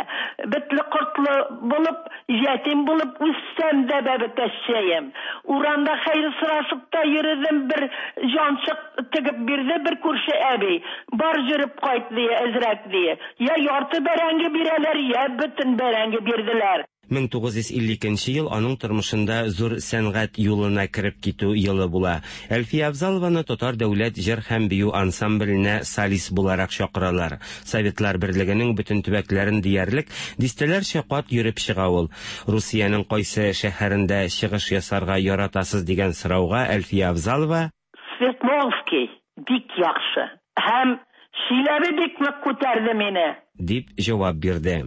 бетле-кортлы булып, ятим булып үссәм дә, бәбекәччәем. Урамда хәер сорашып та йөредем, бер җанчык тегеп бирде бер күрше әби. Бар җөреп кайт, ди, әзрәк, ди. Я ярты бәрәңге бирәләр, я бөтен бәрәңге бирделәр. 1952 нче ел аның тормышында зур сәнгать юлына кереп китү елы була. Әлфия Авзалованы Татар дәүләт җыр һәм бию ансамбленә солист буларак чакыралар. Советлар Берлегенең бөтен төбәкләрен диярлек дистәләрчә кат йөреп чыга ул. Русиянең кайсы шәһәрендә чыгыш ясарга яратасыз дигән сорауга Әлфия Авзалова, Свердловский бик яхшы һәм Чиләбе бик нык күтәрде мине. Дип җавап бирде.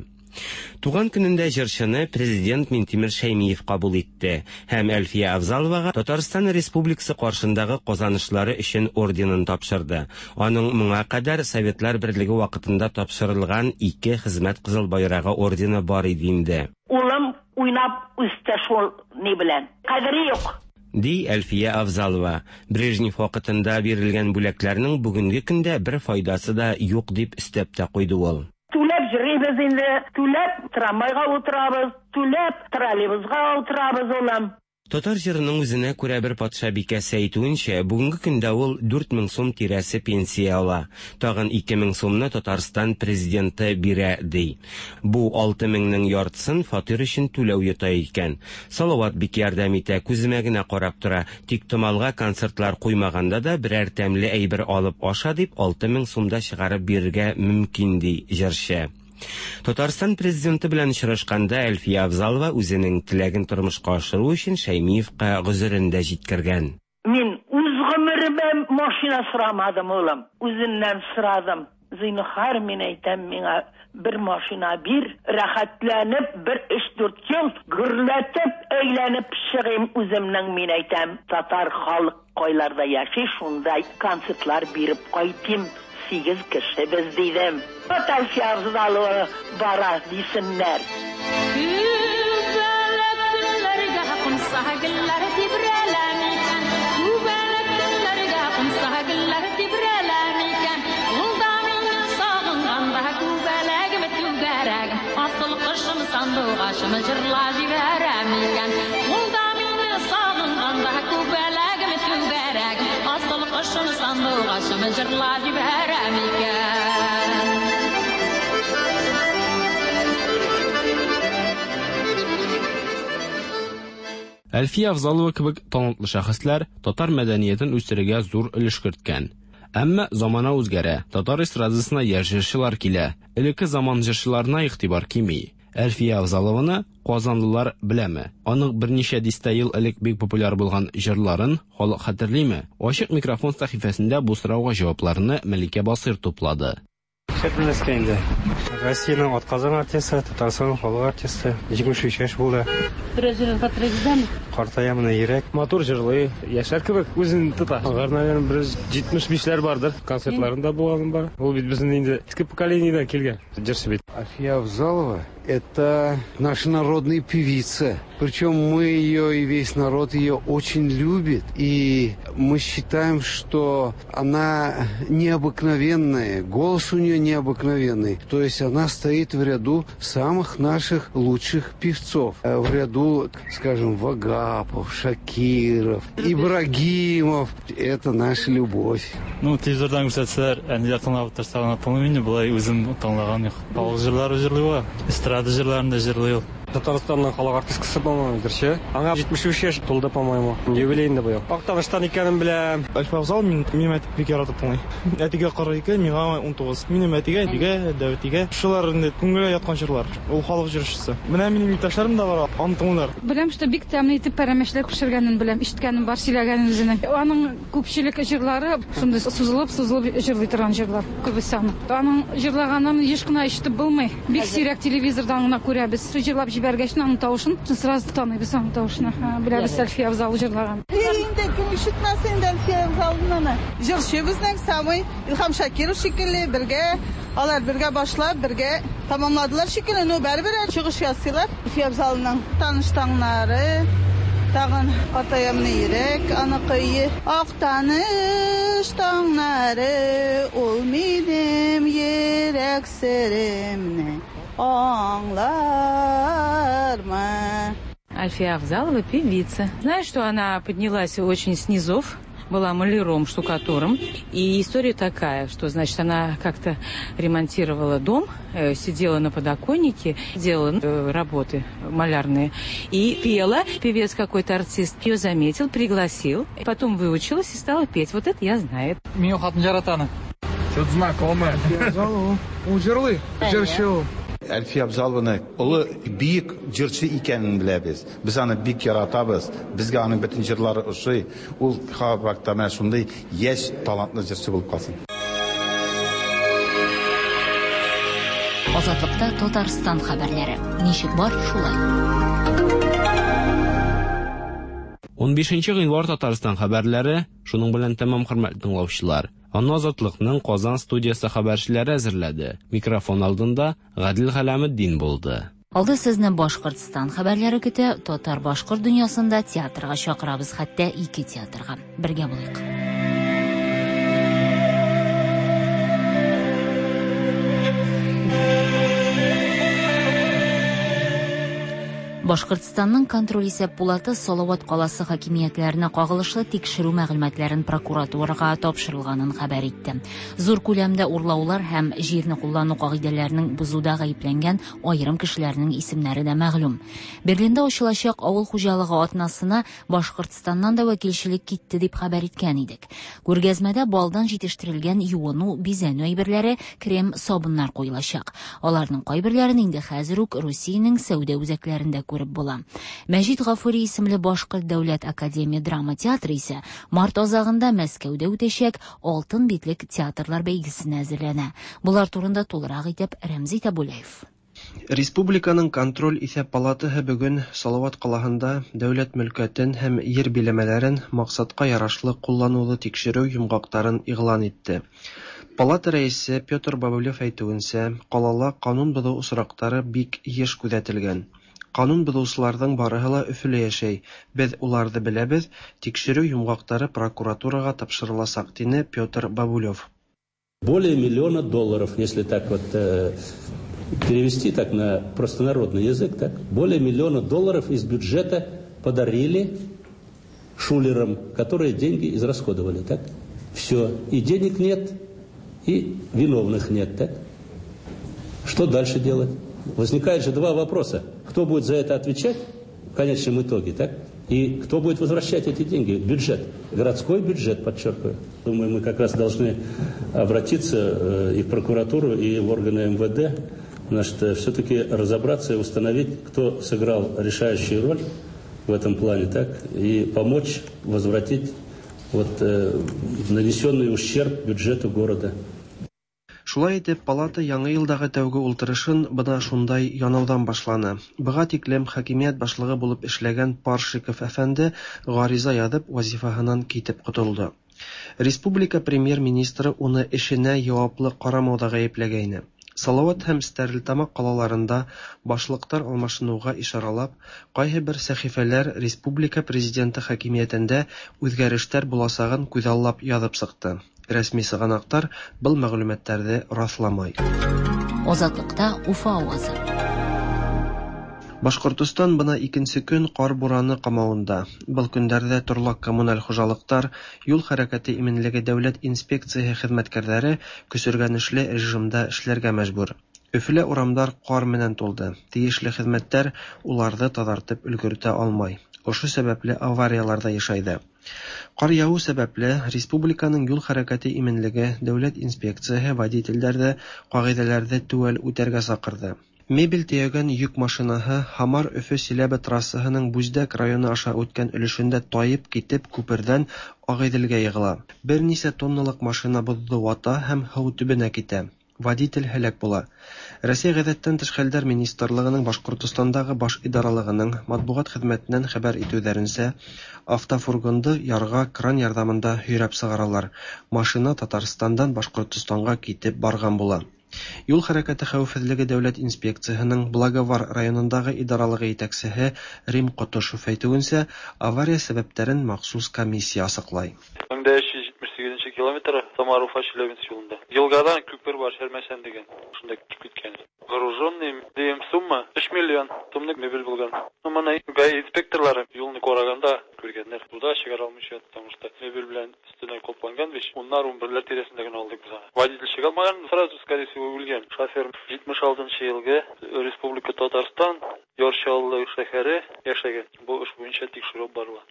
Туган көнендә җырчыны Президент Минтимер Шәймиев кабул итте һәм Әлфия Авзаловага Татарстан Республикасы каршындагы казанышлары өчен орденын тапшырды. Аның моңа кадәр Советлар Берлеге вакытында тапшырылган ике Хезмәт Кызыл Байрагы ордены бар иде инде. Улым уйнап үсте шул ни белән. Кадере юк. Ди Әлфия Авзалова. Брежнев вакытында бирелгән бүләкләрнең бүгенге көндә бер файдасы да юк, дип өстәп тә куйды ул. Түләп йөрибез инде, түләп трамвайга утырабыз, түләп троллейбусга утырабыз, улым. Татар җырының үзенә күрә бер патшабикәсе әйтүенчә, бүгенге көндә ул 4000 сум тирәсе пенсия ала. Тагын 2000 сумны Татарстан Президенты бирә, ди. Бу 6000 нең яртысын фатир өчен түләү йота икән. Салават бик ярдәм итә, күземә генә карап тора. Тиктомалга концертлар куймаганда да берәр тәмле әйбер алып аша дип 6000 сум да чыгарып бирергә мөмкин, ди җырчы. Татарстан Президенты белән очрашканда Әлфия Авзалова үзенең теләген тормышка ашыру өчен Шәймиевка гозерен дә җиткергән. Мин үз гомеремә машина сорамадым, улым. Үзеннән сорадым. Зинһар, мин әйтәм, миңа бер машина бир, рәхәтләнеп бер өч-дүрт ел гөрләтеп әйләнеп чыгыйм үземнең, мин әйтәм, татар халык кайларда яши, шунда концертлар биреп кайтыйм, сигез кеше без, дидем. Татарча Авзалова бара, дисеннәр. Күбәләк төннәргә кунса гөлләр тибрәлә микән? Күбәләк төннәргә кунса гөлләр тибрәлә микән? Ул да мине сагынганда күбәләгем түгәрәгем, асыл кошым сандугачым җырла җибәрә микән? Ул да мине сагынганда күбәләгем түгәрәгем, асыл кошым сандугачым җырла җибәрә микән? Әлфия Авзалова кебек талантлы шәхесләр татар мәдәниятен үстерергә зур өлеш керткән. Әмма замана үзгәрә, татар эстрадасына яшь җырчылар килә. Элекке заман җырчыларына игътибар кими. Әлфия Авзалованы казанлылар беләме? Аның берничә дистә ел элек бик популяр булган җырларын халык хәтерлиме? Ачык микрофон сәхифәсендә бу сорауга җавапларны Мәликә Басыйр туплады. Нишләп белмәскә инде. Россиянең атказанган артисты, Татарстанның халык артисты, 73 яшь булды. Берәр җырын хәтерегездәме? Картая менә йөрәк. Матур җырлый, яшьләр кебек үзен тота. Алар, наверное, бер 75ләр бардыр. Концертларында булганым бар. Ул бит безнең инде иске поколениедән килгән җырчы бит. Әлфия Авзалова – это наша народная певица. Причем мы ее и весь народ ее очень любит. И мы считаем, что она необыкновенная, голос у нее необыкновенный. То есть она стоит в ряду самых наших лучших певцов. В ряду, скажем, Вагапов, Шакиров, Ибрагимов. Это наша любовь. Ну, телевизордан күрсәтсәләр, әниләр тыңлап утырса гына тыңлыйм инде, болай үзем тыңлаган юк. Халык җырлары җырлый ул, эстрада җырларын да җырлый ул. Татарстанның халык артисткасы, по-моему, җырчы. Аңа 73 яшь тулды, по-моему. Юбилей инде быел. Актаныштан икәнен беләм. Әлфия Авзалова мин, минем әти бик яратып тыңлый. Әтигә 42, миңа 19. Минем әтигә, әтигә, дәү әтигә. Шулар инде күңелгә яткан җырлар. Ул халык җырчысы. Менә минем иптәшләрем дә бар, аны тыңлыйлар. Беләм, что бик тәмле итеп пәрәмәчләр пешергәнен беләм, ишеткәнем бар, сөйләгәнен үзенең. Аның күпчелек җырлары шундый сузылып-сузылып җырлый торган җырлар, күбесе аның. Аның җырлаганын еш кына ишетеп булмый. Бик сирәк телевизордан гына күрәбез. Җырлап җибәргәч, аның тавышын сразу таныйбыз аның тавышын. Беләбез Әлфия Авзалова җырлаган. Инде кем ишетмәс инде Әлфия Авзалованы. Җырчы безнең самый Илһам Шакиров шикелле бергә, алар бергә башлап, бергә тамамладылар шикелле, но барыбер чыгыш ясыйлар. Әлфия Авзалованың таныш таңнары, тагын Картаямны йөрәк, аныкы Актаныш таңнары, ул минем йөрәк серемне аңлармы. Альфия Авзалова певица. Знаю, что она поднялась очень с низов, была маляром, штукатуром. И история такая, что, значит, она как-то ремонтировала дом, сидела на подоконнике, делала работы малярные и пела. Певец какой-то артист ее заметил, пригласил, потом выучилась и стала петь. Вот это я знаю. Мин хатын яратам. Что-то знакомое. Ул җырлый, җырчы ул. Әлфия Авзалованы олы бөек җырчы икәнен беләбез. Без аны бик яратабыз. Безгә аның бөтен җырлары ошый. Ул һәрвакытта менә шундый яшь талантлы җырчы булып калсын. Азатлыкта Татарстан хәбәрләре. Ничек бар, шулай. 15 гыйнвар Татарстан хәбәрләре шуның белән тәмам, хөрмәтле тыңлаучылар. Аны Азатлыкның Казан студиясе хәбәрчеләре әзерләде. Микрофон алдында Гадил Галәметдин булды. Алда сезне Башкортстан хәбәрләре көтә. Татар-башкорт дөньясында театрга чакырабыз, хәтта ике театрга. Бергә булыйк. Башкортстанның контроль исәп пулаты Салават каласы хакимиятләренә кагылышлы тикшерү мәгълүматларын прокуратурага тапшырылганын хәбәр итте. Зур күләмдә урлаулар һәм җирне куллану кагыйдәләренең бозуда гаепләнгән аерым кешеләрнең исемнәре дә мәгълүм. Берлинда ачылачак авыл хуҗалыгы атнасына Башкортстаннан да вәкилчелек китте дип хәбәр иткән идек. Күргәзмәдә балдан җитештерелгән юыну, бизәнү әйберләре, крем, сабыннар куелачак. Аларның кайберләрен инде хәзер үк Русиянең сәүдә үзәкләрендә күреп була. Мәҗит Гафури исемле Башкорт дәүләт академия драма театры исә март азагында Мәскәүдә үтәчәк Алтын битлек театрлар бәйгесенә әзерләнә. Болар турында тулырак итеп Рәмзи Табулаев. Республиканың контроль исәп палатаһы бөгөн Салават ҡалаһында дәүләт мөлкәтен һәм ер биләмәләрен маҡсатҡа ярашлы ҡулланыуҙы тикшереү йомғаҡтарын иғлан итте. Палата рәисе Петр Бабылев әйтеүенсә, ҡалала ҡанун боҙоу осраҡтары бик йыш күҙәтелгән. Ҡанун боҙоусыларҙың барыһы ла Өфөлә йәшәй. Беҙ уларҙы беләбеҙ, тикшереү йомғаҡтары прокуратураға тапшырыласаҡ, тине Петр Бабулев. Более миллиона долларов, если так вот перевести так на простонародный язык, так, более миллиона долларов из бюджета подарили шулерам, которые деньги израсходовали, так? Все, и денег нет, и виновных нет, так? Что дальше делать? Возникает же два вопроса. Кто будет за это отвечать в конечном итоге, так? И кто будет возвращать эти деньги? Бюджет. Городской бюджет, подчеркиваю. Думаю, мы как раз должны обратиться и в прокуратуру, и в органы МВД, значит, все-таки разобраться и установить, кто сыграл решающую роль в этом плане, так, и помочь возвратить вот нанесенный ущерб бюджету города. Шулай Шулай итеп, палата яңа елдагы тәүге ултырышын бына шундай янаудан башланы. Быга тиклем хакимият башлыгы булып эшләгән Паршиков әфәнде гариза язып вазифаһынан китеп котылды. Республика премьер-министры уны эшенә яваплы карамауда гаепләгәйне. Салават һәм Стәрлетамак калаларында башлыктар алмашынуга ишаралап, кайһы бер сәхифәләр республика президенты хакимиятендә үзгәрештәр буласагын күзаллап язып чыкты. Рәсми сыганактар был мәгълүматларны расламай. Азатлыкта Уфа авазы. Башкортостан бына икенче көн кар бураны камавында. Был көндәрҙә торлаҡ коммуналь хужалыҡтар, юл хәрәкәте именлеге дәүләт инспекцияһы хеҙмәткәрҙәре көсөргәнешле режимда эшләргә мәжбүр. Өфөлә урамдар ҡар менән тулды. Тейешле хеҙмәттәр уларҙы таҙартып өлгөртә алмай. Ошо сәбәпле авариялар ҙа йышайҙы. Ҡар яуыу сәбәпле республиканың юл хәрәкәте именлеге дәүләт инспекцияһы водителдәрҙе ҡағиҙәләрҙе теүәл үтәргә саҡырҙы. Мебель төйәгән йөк машинаһы Һамар-Өфө Силәбе трассаһының Бүздәк районы аша үткән өлөшөндә тайып китеп күперҙән Ағиҙелгә йығыла. Бер нисә тонналыҡ машина боҙҙо вата һәм һыу төбөнә китә. Водитель һәләк була. Рәсәй ғәҙәттән тыш хәлдәр министрлығының Башҡортостандағы баш идаралығының матбуғат хеҙмәтенән хәбәр итеүҙәренсә, автофургонды ярға кран ярҙамында һөйрәп сығаралар. Машина Татарстандан Башҡортостанға китеп барған була. Юл хәрәкәте хәүефһеҙлеге дәүләт инспекцияһының Благовар районындағы идаралығы етәксеһе Рим Ҡотошов әйтеүенсә, авария сәбәптәрен махсус комиссия асыҡлай. 1578 километр Самара-Уфа Челябинск юлында. Елгадан күпер бар, Шәрмәсән дигән. Шунда китеп киткән. Груженный дигән сумма 3 миллион сумлык мебель булган. Ну, моны ГАИ инспекторлары юлны караганда күргәннәр. Суда чыгара алмыйча, потому что мебель белән өстенә капланган бит. Уннар, унберләр тирәсендә генә алдык без аны. Водитель чыга алмаган, сразу, скорее всего, үлгән. Шофер 76 елгы Республика Татарстан, Яр Чаллы шәһәре яшәгән. Бу эш буенча тикшерү барыла.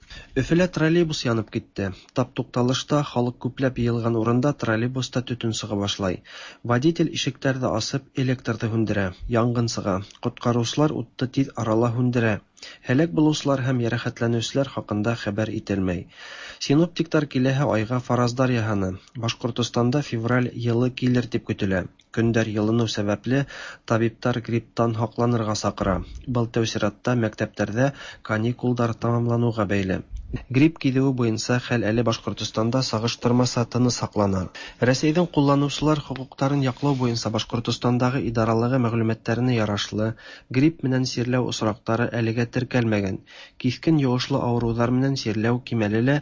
Өфөлә троллейбус янып китте. Тап тукталышта халык күпләп йыйылган урында троллейбуста төтен сыга башлай. Водитель ишектәрҙе асып, электрҙы һүндерә. Янгын сыға. Ҡотҡарыусылар утты тиҙ арала һүндерә. Һәләк булыусылар һәм йәрәхәтләнеүселәр хаҡында хәбәр ителмәй. Синоптиктар киләһе айға фараздар яһаны. Башҡортостанда февраль йылы килер тип көтөлә. Көндәр йылыныу сәбәпле табиптар грипптан һаҡланырға саҡыра. Был тәү сиратта мәктәптәрҙә каникулдар тамамланыуға бәйле. Грипп киҙеүе буйынса хәл әле Башҡортостанда сағыштырмаса тыныс һаҡлана. Рәсәйҙең ҡулланыусылар хоҡуҡтарын яҡлау буйынса Башҡортостандағы идаралығы мәғлүмәттәренә ярашлы, грипп менән сирләү осраҡтары әлегә теркәлмәгән. Киҫкен йоғошло ауырыуҙар менән сирләү кимәле лә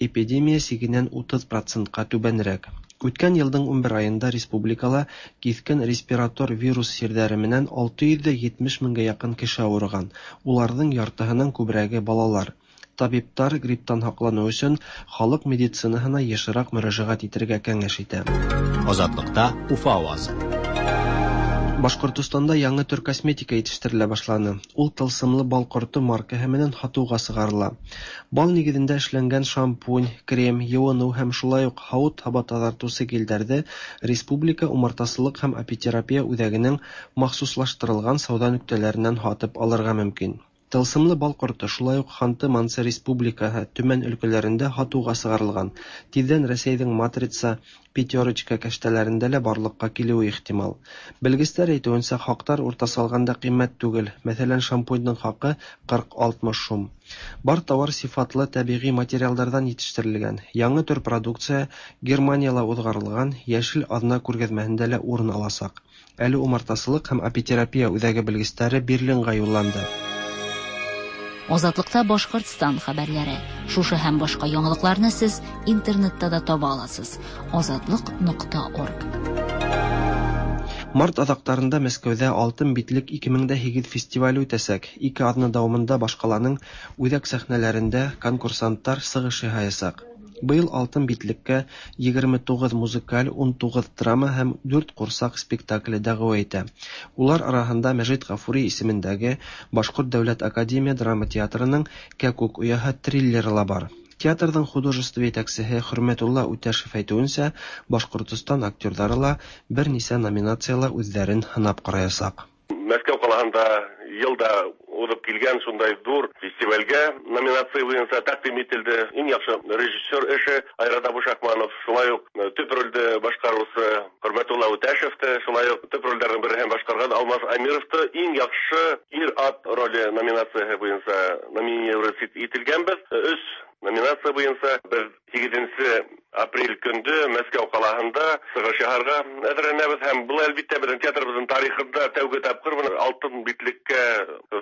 эпидемия сигенән 30%-ҡа түбәнерәк. Үткән йылдың 11 айында республикала киҫкен респиратор вирус сирҙәре менән 670 меңгә яҡын кеше ауырыған. Уларҙың яртыһынан күберәге балалар. Табиптар грипптан һаҡланыу өсөн халыҡ медицинаһына йышыраҡ мөрәжәғәт итергә кәңәш итә. Азатлыкта Уфа авазы. Башҡортостанда яңы төр косметика етештерелә башланы. Ул тылсымлы бал ҡорто маркаһы менән һатыуға сығарыла. Бал нигеҙендә эшләнгән шампунь, крем, йыуыныу һәм шулай уҡ һауыт-һаба таҙартыусы гелдәрҙе Республика умартасылыҡ һәм апитерапия үҙәгенең махсуслаштырылған сауҙа нөктәләренән һатып алырға мөмкин. Тылсымлы бал ҡорто шулай уҡ Ханты-Мансы Республикаһы, Төмән өлкәләрендә һатыуға сығарылған. Тиҙҙән Рәсәйҙең Матрица, Пятерочка кәштәләрендә лә барлыҡҡа килеүе ихтимал. Белгестәр әйтеүенсә, хаҡтар уртаса алғанда ҡиммәт түгел. Мәҫәлән, шампуньдың хаҡы 40-60 һум. Бар тауар сифатлы тәбиғи материалдарҙан етештерелгән. Яңы төр продукция Германияла уҙғарылған Йәшел аҙна күргәҙмәһендә лә урын аласаҡ. Әле умартасылыҡ һәм апитерапия үҙәге белгестәре Берлинға юлланды. Азатлыкта Башкортстан хәбәрләре. Шушы һәм башка яңалыкларны сез интернетта да таба аласыз. Азатлык.орг. Март аҙаҡтарында Мәскәүҙә Алтын битлек 2008 фестивале үтәсәк. Ике аҙна дауамында башҡаланың үҙәк сәхнәләрендә конкурсанттар сығыш яһаясаҡ. Быйыл Алтын битлеккә 29 музыкаль, 19 драма һәм 4 ҡурсаҡ спектакле дәғүә итә. Улар араһында Мәжит Ғафури исемендәге Башҡорт дәүләт академия драма театрының Кәкүк ояһы триллеры ла бар. Театрҙың художество етәксеһе Хөрмәтулла Үтәшев әйтеүенсә, Башҡортостан актерҙары ла бер нисә номинацияла үҙҙәрен һынап ҡараясаҡ. Мәскәү ҡалаһында йылда уҙып килгән шундай ҙур фестивальгә номинация буйынса тәҡдим ителде. Иң яҡшы режиссер эше Айрат Абушахманов, шулай уҡ төп ролде башҡарыусы Хөрмәтулла Үтәшев Әхмәтовты, шулай ук төп рольләрнең береһен башкарган Алмаз Әмировты иң яхшы ир-ат роле номинацияһе буенча номинировать ителгәнбез. Өч номинация буенча без 8 апрель көндө Мәскәү ҡалаһында сығыш яһарға әҙерләнәбеҙ һәм был, әлбиттә, беҙҙең театрыбыҙҙың тарихында тәүге тапҡыр бына алтын битлеккә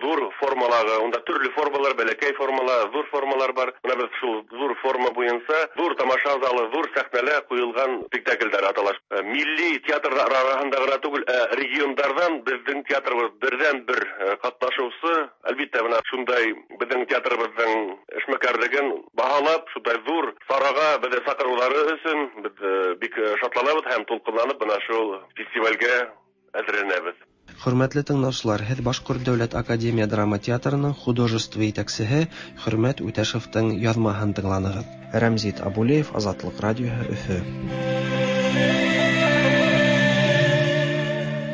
ҙур формалағы, унда төрлө формалар, бәләкәй формалар, ҙур формалар бар. Бына беҙ шул ҙур форма буйынса ҙур тамаша залы, ҙур сәхнәлә ҡуйылған спектаклдәр атала. Милли театрҙар араһында ғына түгел, ә региондарҙан беҙҙең театрыбыҙ берҙән-бер ҡатнашыусы. Әлбиттә, бына шундай беҙҙең театрыбыҙҙың эшмәкәрлеген баһалап, шундай ҙур сараға беҙҙе саҡырыуҙары өсөн беҙ бик шатланабыҙ һәм тулҡынланып бына шул фестивалгә әҙерләнәбеҙ. Хөрмәтле тыңлаучылар, һеҙ Башҡорт дәүләт академия драма театрының художество етәксеһе Хөрмәт Үтәшевтең яҙмаһын тыңланығыҙ. Рәмзит Абулеев, Азатлыҡ радиоһы, Өфө.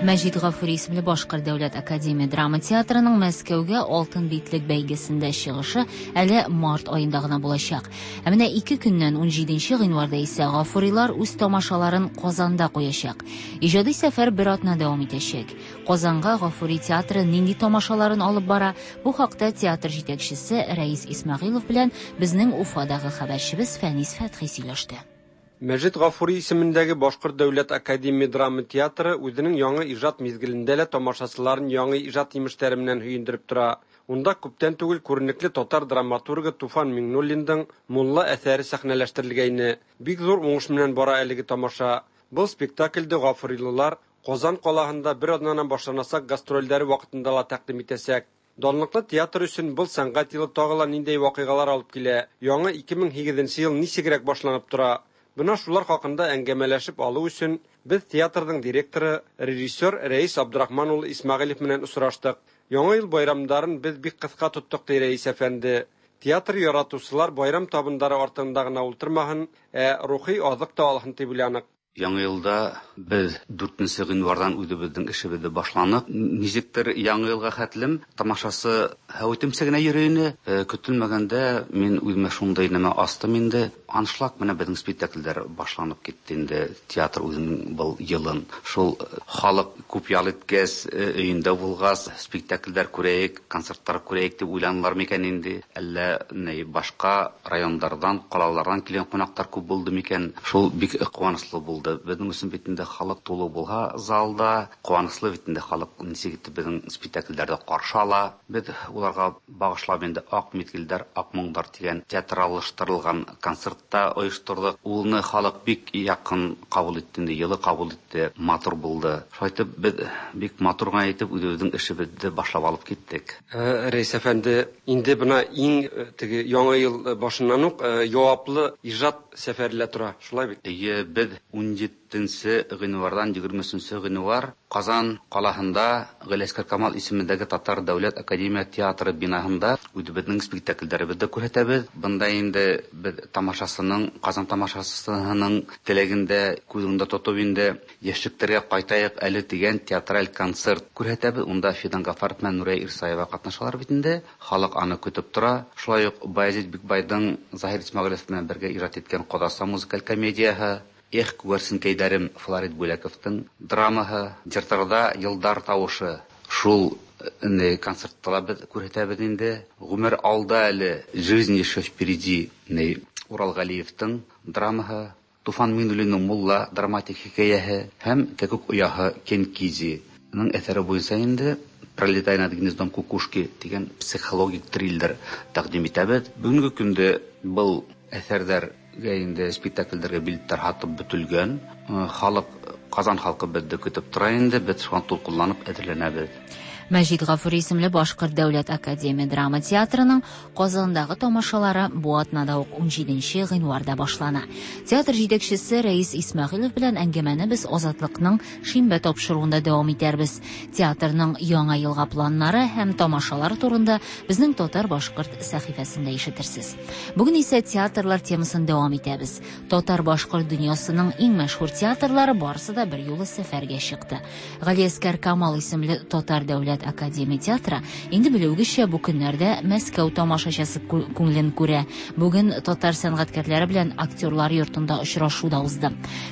Мәҗит Гафури исемле Башкорт дәүләт академия драма театрының Мәскәүгә Алтын битлек бәйгесендә чыгышы әле март аенда гына булачак. Ә менә ике көннән 17 гыйнварда исә Гафурилар үз тамашаларын Казанда куячак. Иҗади сәфәр бер атна дәвам итәчәк. Казанга Гафури театры нинди тамашаларын алып бара? Бу хакта театр җитәкчесе Рәис Исмәгыйлов белән безнең Уфадагы хәбәрчебез Фәнис Фәтхи сөйләште. Мәҗит Гафури исемендәге Башкорт дәүләт академия драма театры үзенең яңа ижат мизгелендә лә тамашасыларын яңа ижат имешләре менән һөендереп тора. Унда күптән түгел күренекле татар драматургы Туфан Миңнуллиндың Мулла әҫәре сәхнәләштерелгәйне. Бик зур уңыш менән бара әлеге тамаша. Был спектакльде гафурилылар Казан ҡалаһында бер аҙнанан башланасаҡ гастролдәре ваҡытында ла тәҡдим итәсәк. Данлыҡлы театр өсөн был сәнғәт йылы тағы ла ниндәй ваҡиғалар алып килә? Яңы 2008 йыл нисегерәк башланып тора? Бына шулар хаҡында әңгәмәләшеп алыу өсөн беҙ театрҙың директоры, режиссер Рәис Абдрахман улы Исмәғилев менән осраштыҡ. Яңы йыл байрамдарын беҙ бик ҡыҫҡа тоттоҡ, ти Рәис әфәнде. Театр яратыусылар байрам табындары артында ғына ултырмаһын, ә рухи аҙыҡ та алһын тип уйланыҡ. Яңы йылда беҙ 4 ғинварҙан үҙебеҙҙең эшебеҙҙе башланыҡ. Нисектер яңы йылға хәтлем тамашасы һәүетемсә генә йөрөй ине. Көтөлмәгәндә мин үҙемә шундай нәмә астым инде. Аншлаг менән беҙҙең спектаклдәр башланып китте инде. Театр үҙенең был йылын. Шул халыҡ күп ял иткәс, өйөндә булғас, спектаклдәр күрәйек, концерттар күрәйек тип уйланылар микән инде? Әллә ни башҡа райондарҙан, ҡалаларҙан килгән ҡунаҡтар күп булды микән? Шул бик ҡыуаныслы булды. Беҙҙең өсөн бит инде халыҡ тулы булһа залда, ҡыуаныслы бит инде халыҡ нисек итеп беҙҙең спектаклдәрҙе ҡаршы ала. Беҙ уларға бағышлап инде Аҡ миҙгелдәр, Аҡ моңдар тигән театраллаштырылған концертта ойошторҙоҡ. Уны халыҡ бик яҡын ҡабул итте инде, йылы ҡабул итте, матур булды. Шулай итеп беҙ бик матур ғына итеп үҙебеҙҙең эшебеҙҙе башлап алып киттек. Рәис әфәнде, инде бына иң теге яңы йыл башынан уҡ яуаплы ижад сәфәре лә тора, шулай бит? Эйе, беҙ 17 ғинварҙан 23 ғинвар Ҡазан ҡалаһында Ғәлиәсғәр Камал исемендәге Татар дәүләт академия театры бинаһында үҙебеҙҙең спектаклдәребеҙҙе күрһәтәбеҙ. Бында инде беҙ тамашасының, Ҡазан тамашасыһының теләгендә күҙ уңында тотоп инде йәшлектәргә ҡайтайыҡ әле тигән театраль концерт күрһәтәбеҙ. Унда Фидан Ғафаров менән Нурия Ирсаева ҡатнашалар бит инде. Халыҡ аны көтөп тора. Шулай уҡ Баязит Бикбайҙың Заһир Исмәғилев менән бергә ижад иткән Ҡоҙаса музыкаль комедияһы, Эх, күгәрсенкәйҙәрем Флорид Бүләковтың драмаһы, Йыртырҙа йылдар тауышы. Шул концертта ла беҙ күрһәтәбеҙ инде. Ғүмер алда әле, Жизнь еще впереди, Урал Ғәлиевтың драмаһы, Туфан Миңнуллиндың Мулла драматик хикәйәһе һәм Кәкүк ояһы Кенкизиның әҫәре буйынса инде Пролетая над гнездом кукушки тигән психологик триллер тәҡдим итәбеҙ. Бөгөнгө көндә был әҫәрҙәргә инде спектаклдәргә билеттар һатып бөтөлгән. Халыҡ, Ҡазан халҡы беҙҙе көтөп тора инде, беҙ шуға тулҡынланып әҙерләнәбеҙ. Мәҗит Гафури исемле Башкорт дәүләт академия драма театрының Казандагы тамашалары бу атнада ук 17 гыйнварда башлана. Театр җитәкчесе Рәис Исмәгыйлов белән әңгәмәне без Азатлыкның шимбә тапшыруында дәвам итәрбез. Театрның яңа елга планнары һәм тамашалар турында безнең татар-башкорт сәхифәсендә ишетерсез. Бүген исә театрлар темасын дәвам итәбез. Татар-башкорт дөньясының иң мәшһүр театрлары барысы да бер юлы сәфәргә чыкты. Галиәскәр Камал исемле татар дәүләт дәүләт академия театры, инде белүегезчә, бу көннәрдә Мәскәү тамашачысы күңелен күрә. Бүген татар сәнгатькәрләре белән Актерлар йортында очрашу да узды.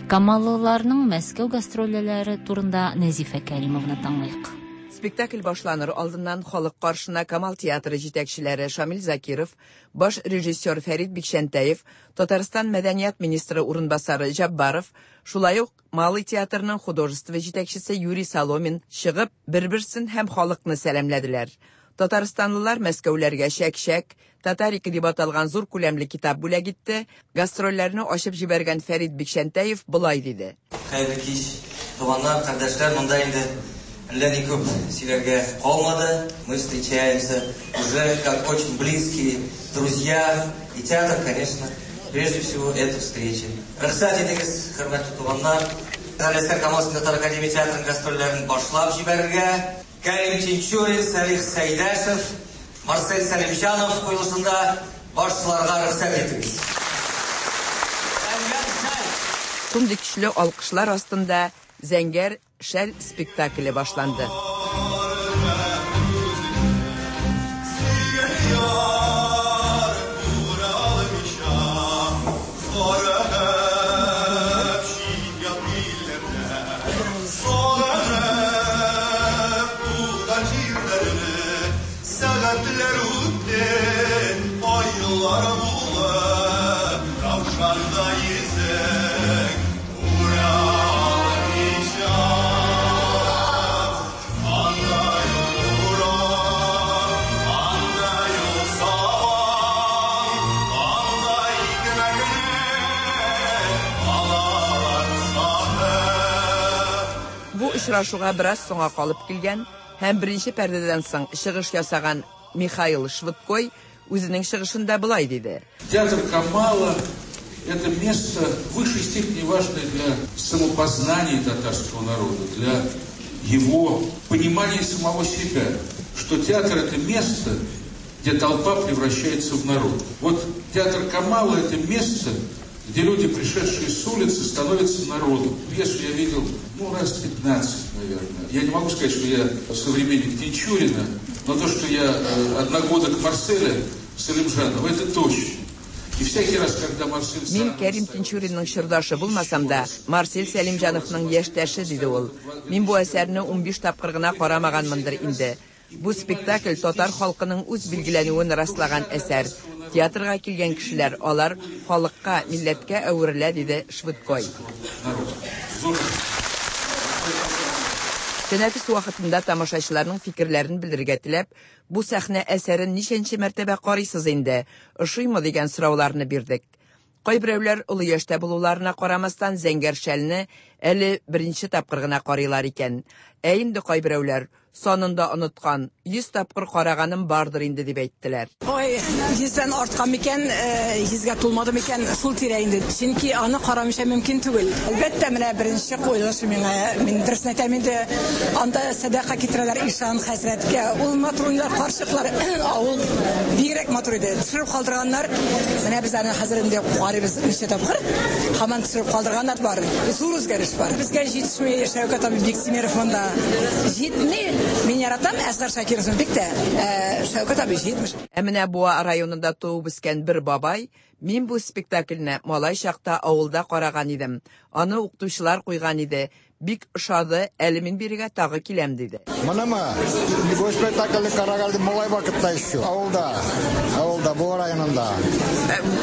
Камаллыларның Мәскәү гастрольләре турында Нәзифә Кәримованы тыңлыйк. Спектакль башланыр алдыннан халык каршына Камал театры җитәкчеләре Шамил Закиров, баш режиссер Фәрит Бикчәнтәев, Татарстан мәдәният министры урынбасары Җаббаров, шулай ук Малый театрының художество җитәкчесе Юрий Соломин чыгып, бер-берсен һәм халыкны сәламләделәр. Татарстанлылар мәскәүләргә чәк-чәк, Татарика дип аталган зур күләмле китап бүләк итте. Гастрольләрне ачып җибәргән Фәрит Бикчәнтәев болай диде. Хәерле кич, туганнар, кардәшләр. Монда инде әллә ни күп сөйләргә калмады. Мы встречаемся уже как очень близкие друзья. И театр, конечно, прежде всего, это встреча. Рөхсәт итегез, хөрмәтле туганнар, Галиәсгар Камал Татар академия театрының гастрольләрен башлап җибәрергә. Кәрим Тинчурин, Сәлих Сәйдәшев, Марсель Сәлимҗанов куелышында башларга рөхсәт итегез. Шундый көчле алкышлар астында Зәңгәр шәл спектакле башланды. Бу очрашуга бераз соңа калып килгән һәм беренче пәрдәдән соң чыгыш ясаган Михаил Швыдкой үзенең чыгышында болай диде. Театр Камала – это место в высшей степени важное для самопознания татарского народа, для его понимания самого себя, что театр – это место, где толпа превращается в народ. Вот театр Камала – это место, где люди, пришедшие с улицы, становятся народом. Пьесу я видел, ну, раз 15, наверное. Я не могу сказать, что я современник Тинчурина, но то, что я одногодок Марселя Салимжанова, это точно. И всякий раз, когда Марсель... Мин Кәрим Тинчуринның чордашы булмасам да, Марсель Сәлимҗановның яшьтәше, диде ул. Мин бу әсәрне 15 тапкыр гына карамаганмындыр инде. Бу спектакль татар халкының үз билгеләнүен раслаган әсәр. Театрга килгән кешеләр, алар халыкка, милләткә әверелә, диде Швыдкой. Тәнәфес вакытында тамашачыларның фикерләрен белергә теләп, бу сәхнә әсәрен ничәнче мәртәбә карыйсыз инде, ошыймы дигән сорауларны бирдек. Кайберәүләр олы яшьтә булуларына карамастан Зәңгәр шәлне әле беренче тапкыр гына карыйлар икән. Ә инде кайберәүләр санын да оныткан, 100 тапкыр караганым бардыр инде дип әйттеләр. Ой, 100дән арткан микән, 100гә тулмады микән, шул тирә инде. Чөнки аны карамыйча мөмкин түгел. Әлбәттә, менә беренче куелышы миңа, мин дөресен әйтәм инде, анда сәдака китерәләр Ишан хәзрәткә. Ул матур уйлар, карчыклар, авыл бигрәк матур иде. Төшереп калдырганнар. Менә без аны хәзер инде карыйбыз ничә тапкыр. Һаман төшереп калдырганнар бар. Зур үзгәреш бар. Безгә җитешми Шәүкәт абый Биктимеров монда. Җитми. Мин яратам Әсгар Шакировны бик тә. Шәүкәт абый җитмеш. Ә менә Буа районында туып үскән бер бабай, мин бу спектакльне малай чакта авылда караган идем. Аны укытучылар куйган иде. Бик ошады, әле мин бирегә тагы киләм, диде. Монымы? Бу спектакльне караган идем малай вакытта еще. Авылда. Авылда, Буа районында.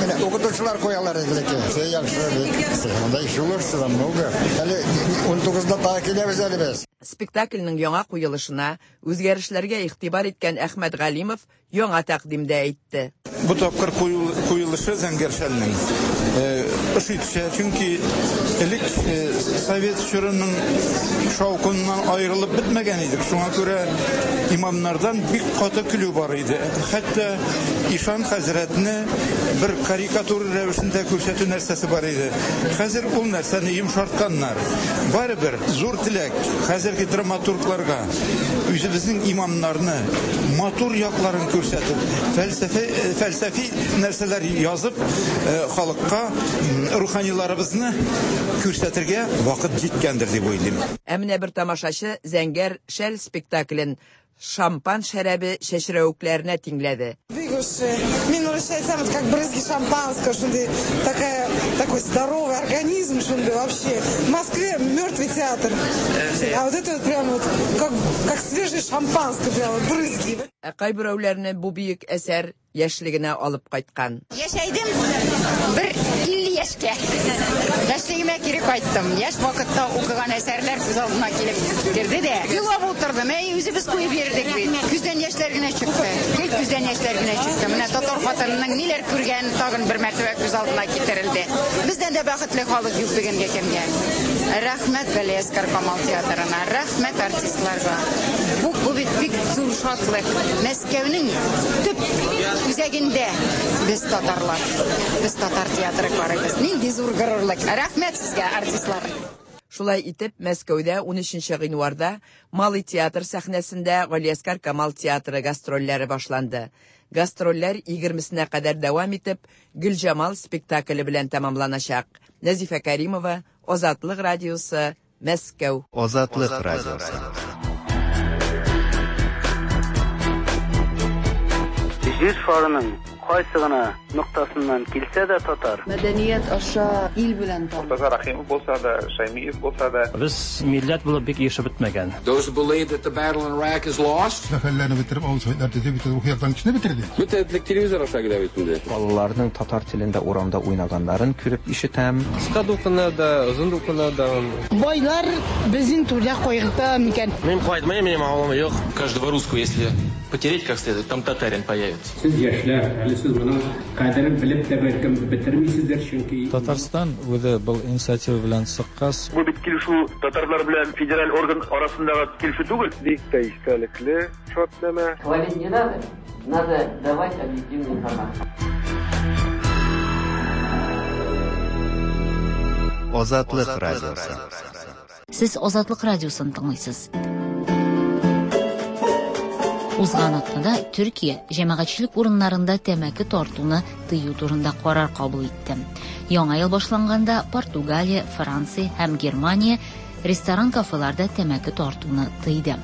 Менә укытучылар куялар иде ләкин. Все яхшы бик. Монда еще лучше намного. Әле 19-да тагы киләбез әле без. Спектакльнең яңа куелышына, үзгәрешләргә игътибар иткән Әхмәт Галимов яңа тәкъдим дә әйтте. Бу тапкыр куелышы Зәңгәр шәлнең ошый төшә, чөнки элек совет чорының шаукыннан аерылып бетмәгән идек. Шуңа күрә имамнардан бик каты көлү бар иде. Хәтта Ишан хәзрәтне бер карикатура рәвешендә күрсәтү нәрсәсе бар иде. Хәзер ул нәрсәне йомшартканнар. Барыбер зур теләк хәзерге драматургларга үзебезнең имамнарны матур якларын күрсәтеп, фәлсәфи нәрсәләр язып, халыкка руханиларыбызны күрсәтергә вакыт җиткәндер дип уйлыйм. Ә менә бер тамашачы Зәңгәр шәл спектаклен шампан шәрабе чәчрәвекләренә тиңләде. Бик ошый. Мин урысча әйтсәм, это как брызги шампанского, шундый такая, такой здоровый организм, шундый вообще. В Москве мертвый театр. А вот это вот прям вот как, как свежее шампанское, прям вот брызги. Ә кайберәүләрне бу бөек әсәр яшьлегенә алып кайткан. Яшәйдем бер 50 яшькә. Яшьлегемә кире кайттым. Яшь вакытта укыган әсәрләр күз алдыма килеп керде дә. Елап утырдым. Әй, үзебез куеп йөрдек бит. Күздән яшьләр генә чыкты. Гел күздән яшьләр генә чыкты. Менә татар хатынының ниләр күргән тагын бер мәртәбә күз алдына китерелде. Бездән дә бәхетле халык юк бүгенге көнгә. Рәхмәт Галиәсгар Камал театрына, рәхмәт артистларга. Бу, бу бит бик зур шатлык. Мәскәүнең төп үзәгендә без татарлар. Без татар театры карыйбыз. Нинди зур горурлык. Рәхмәт сезгә, артистлар. Шулай итеп, Мәскәүдә 13 гыйнварда Малый театр сәхнәсендә Галиәсгар Камал театры гастрольләре башланды. Гастрольләр 20-сенә кадәр дәвам итеп, Гөлҗамал спектакле белән тәмамланачак. Нәзифә Кәримова, Азатлык радиосы, Мәскәү. Азатлык радиосы. Җир шарының кайсы гына ноктасыннан килсә дә татар. Мәдәният аша ил белән таныш. Мортаза Рәхимов булса да, Шәймиев булса да. Без милләт булып бик ирешеп бетмәгән. Those who believe that the battle in Iraq is lost. Мәхәлләне бетереп, авыл советлар төзеп, бөтен рухи яктан кешене бетерде. Бөтен телевизор аша килә бит инде. Балаларның татар телендә урамда уйнаганнарын күреп ишетәм. Кыска дулкыннар да, озын дулкыннар да. Байлар безнең түрдә кайгырта микән? Мин кайтмыйм, минем авылым юк. Каждого русского, если потереть как следует, там татарин появится. Сез яшьләр, әле сез моның кадерен белеп тә бәлкем бетермисездер, чөнки Татарстан үзе был инициатива белән чыккач, Бу бит килешү татарлар белән федераль орган арасындагы килешү түгел. Бик тә истәлекле шартнамә. Хвалить не надо, надо давать объективную информацию. Азатлык радиосы. Сез Азатлык радиосын тыңлыйсыз. Узган атнада Төркия җәмәгатьчелек урыннарында тәмәке тартуны тыю турында карар кабул итте. Яңа ел башланганда Португалия, Франция һәм Германия ресторан-кафеларда тәмәке тартуны тыйды.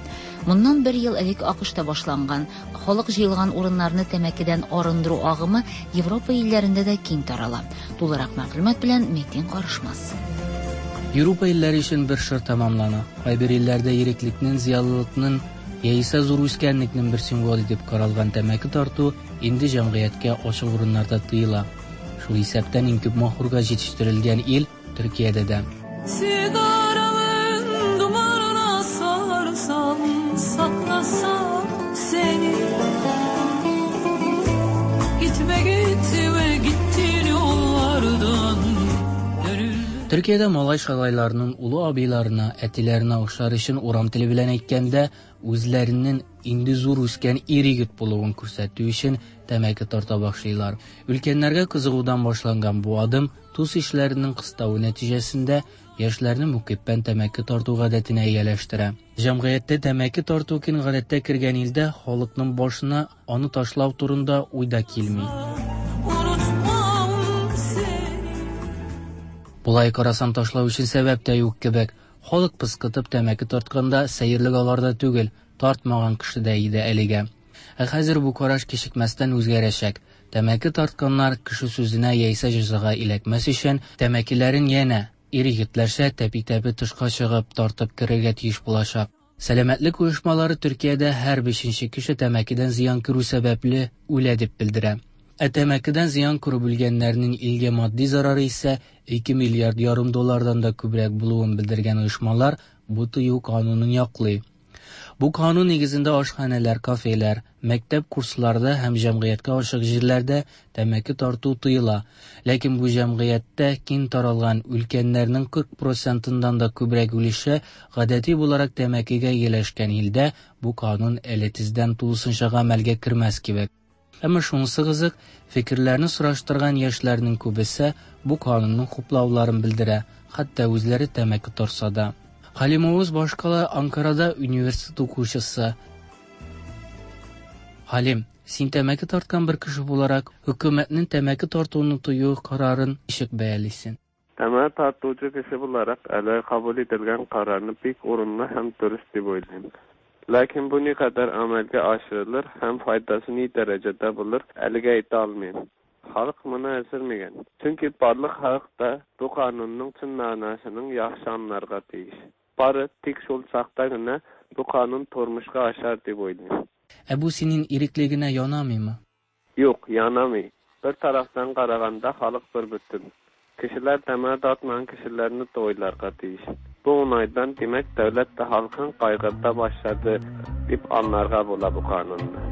Моннан бер ел элек АКШта башланган халык җыелган урыннарны тәмәкедән арындыру агымы Европа илләрендә дә киң тарала. Тулырак мәгълүмат белән Метин Карышмас. Европа илләре өчен бер чор тәмамлана. Кайбер илләрдә иреклекнең, зыялылыкның яисә зур үскәнлекнең бер символы дип каралган тәмәке тарту инде җәмгыятькә ачык урыннарда тыела. Шул исәптән иң күп махурга җитештерелгән ил Төркиядә дә. Sigaramın dumanına sarsam, saklasam seni. Gitme gitme gittiğin yollardan Төркиядә малай-шалайларның олы абыйларына, әтиләренә охшар өчен урам теле белән әйткәндә, үзләренең инде зур үскән ир-егет булуын күрсәтү өчен тәмәке тарта башлыйлар. Өлкәннәргә кызыгудан башланган бу адым дус ишләренең кыставы нәтиҗәсендә яшьләрне мөкиббән тәмәке тарту гадәтенә ияләштерә. Җәмгыятьтә тәмәке тарту киң гадәттә кергән илдә халыкның башына аны ташлау турында уй да килми. Unutmam seni. Болай карасаң ташлау өчен сәбәп тә юк кебек. Халык пыскытып тәмәке тартканда сәерлек аларда түгел, тартмаган кешедә иде әлегә. Ә хәзер бу караш кичекмәстән үзгәрәчәк. Тәмәке тартканнар кеше сүзенә яисә җәзага эләкмәс өчен тәмәкеләрен янә ир-егетләрчә тәпи-тәпи тышка чыгып тартып керергә тиеш булачак. Сәламәтлек оешмалары Төркиядә һәр бишенче кеше тәмәкедән зыян күрү сәбәпле үлә дип белдерә. Ә тәмәкедән зыян күреп үлгәннәрнең илгә матди зарары исә 2 миллиард ярым доллардан да күбрәк булуын белдергән оешмалар бу тыю канунын яклый. Бу канун нигезендә ашханәләр, кафелар, мәктәп курсларда һәм җәмгыятькә ачык җирләрдә тәмәке тарту тыела. Ләкин бу җәмгыятьтә киң таралган өлкәннәрнең 40 процентыннан да күбрәк өлеше гадәти буларак тәмәкегә ияләшкән илдә бу канун әле тиздән тулысынча гамәлгә кермәс кебек. Әмма шунысы кызык, фикерләрне сораштырган яшьләрнең күбесе бу канунны хуплауларын белдерә, хәтта үзләре тәмәке тартса да. Халим Оğuz башкала Анкарада университет укучысы. Халим, син тәмәке тарткан бер кеше буларак, хөкүмәтнең тәмәке тартуны тыю карарын ничек бәялисең? Тәмәке тартучы кеше буларак, әле кабул ителгән карарны бик урынлы һәм дөрес дип уйлыйм. Ләкин бу никадәр гамәлгә ашырылыр һәм файдасы ни дәрәҗәдә булыр, әлегә әйтә алмыйм. Халык моны әзер микән? Чөнки барлык халык та бу канунның чын мәгънәсенең яхшы аңларга тиеш. Бары тик шул чакта гына бу канун тормышка ашар дип уйлыйм. Ә бу синең иреклегенә янамыймы? Юк, янамый. Бер тарафтан караганда, халык бер бөтен. Кешеләр тәмәке тартмаган кешеләрне дә уйларга тиеш. Бу уңайдан, димәк, дәүләт тә халкын кайгырта башлады дип аңларга була бу канунны.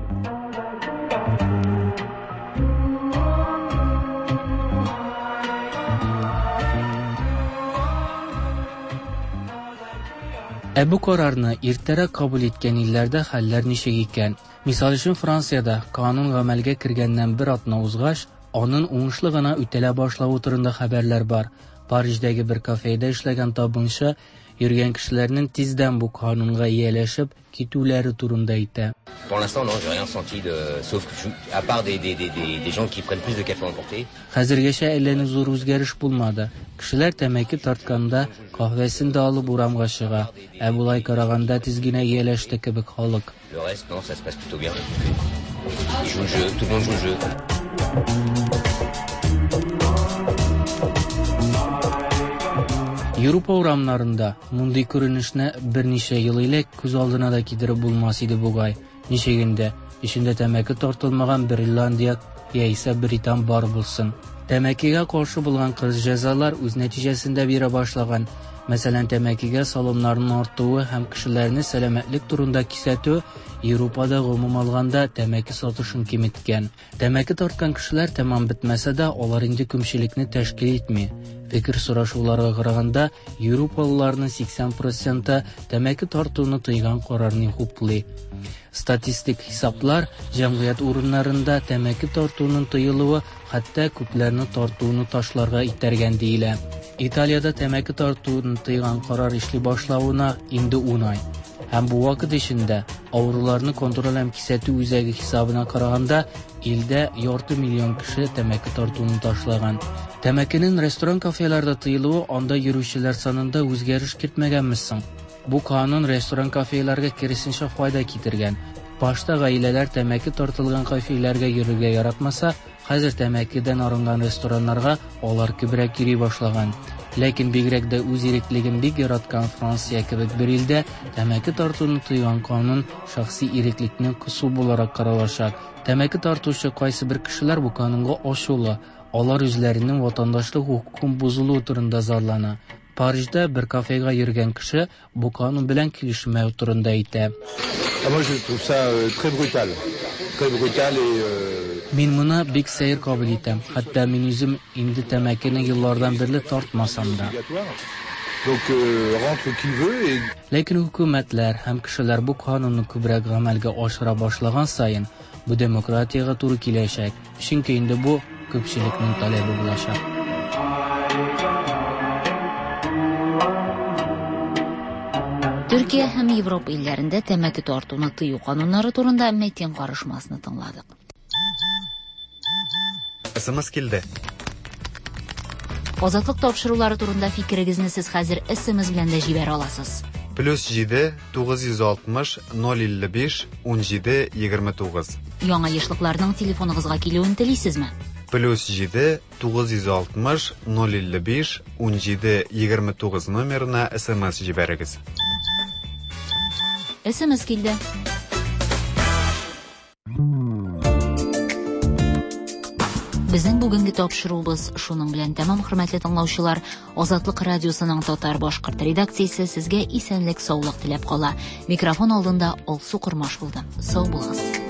Ә бу карарны иртәрәк кабул иткән илләрдә хәлләр ничек икән? Мисал өчен, Франциядә канун гамәлгә кергәннән бер атна узгач, анын уңышлы гына үтәлә башлавы турында хәбәрләр бар. Париждәге бер кафеда эшләгән табынчы йөргән кешеләрнең тиздән бу канунга ияләшеп китүләре турында әйтә. Pour l'instant, non, j'ai rien senti de, sauf que je, à part des, des, des, des, des gens qui prennent plus de café à emporter. Хәзергәчә әллә ни зур үзгәреш булмады. Кешеләр тәмәке тартканда каһвәсен дә алып урамга чыга. Ә болай караганда тиз генә ияләште кебек халык. Le reste, non, ça se passe plutôt bien. Ils jouent le jeu, tout le monde joue le jeu. Европа урамнарында мондый күренешне берничә ел элек күз алдына да китереп булмас иде бугай. Ничек инде, эчендә тәмәке тартылмаган бер Ирландия яисә британ бар булсын. Тәмәкегә каршы булган кырыс җәзалар үз нәтиҗәсен дә бирә башлаган. Мәсәлән, тәмәкегә салымнарның артуы һәм кешеләрне сәламәтлек турында кисәтү Европада гомум алганда тәмәке сатышын киметкән. Тәмәке тарткан кешеләр тәмам бетмәсә дә, алар инде күпчелекне тәшкил итми. Фикер сорашуларга караганда, европалыларның 80 проценты тәмәке тартуны тыйган карарны хуплый. Статистик хисаплар җәмгыять урыннарында тәмәке тартуның тыелуы хәтта күпләрне тартуны ташларга этәргән диелә. Италиядә тәмәке тартуны тыйган карар эшли башлавына инде 10 ай. Һәм бу вакыт эчендә авыруларны контроль һәм кисәтү үзәге хисабына караганда, илдә ярты миллион кеше тәмәке тартуны ташлаган. Тәмәкенең ресторан-кафеларда тыелуы анда йөрүчеләр санында үзгәреш кертмәгәнме соң? Бу канун ресторан-кафеларга киресенчә файда китергән. Башта гаиләләр тәмәке тартылган кафеларга йөрергә яратмаса, хәзер тәмәкедән арынган рестораннарга алар күбрәк йөри башлаган. Ләкин бигрәк дә үз иреклеген бик яраткан Франция кебек бер илдә тәмәке тартуны тыйган канун шәхси иреклекне кысу буларак каралачак. Тәмәке тартучы кайсы бер кешеләр бу канунга ачулы. Алар үзләренең ватандашлык хокукын бозылуы турында зарлана. Парижда бер кафега йөргән кеше бу канун белән килешмәү турында әйтә. Ah, moi je trouve ça euh, très brutal. Très brutal et euh, Мин моны бик сәер кабул итәм. Хәтта мин үзем инде тәмәкене еллардан бирле тартмасам да. donc euh, rentre qui veut et Ләкин хөкүмәтләр һәм кешеләр бу канунны күбрәк гамәлгә ашыра башлаган саен, бу демократиягә туры киләчәк. Чөнки инде бу күпчелекнең таләбе булачак. Төркия һәм Европа илләрендә тәмәке тартуны тыю кануннары турында Мәтин карышмасны тыңладык. СМС килде. Азатлык тапшырулары турында фикерегезне сез хәзер СМС белән дә җибәрә аласыз. Плюс 7 960 055 17 29. Яңа ешлыкларның телефоныгызга килүен телисезме? Плюс 7 960 055 17 29 номерына СМС җибәрегез. СМС килде. Безнең бүгенге тапшыруыбыз шуның белән тәмам, хөрмәтле тыңлаучылар. Азатлык радиосының татар башкорт редакциясе сезгә исәнлек, саулык теләп кала. Микрофон алдында Алсу Кормаш булды. Сау булыгыз.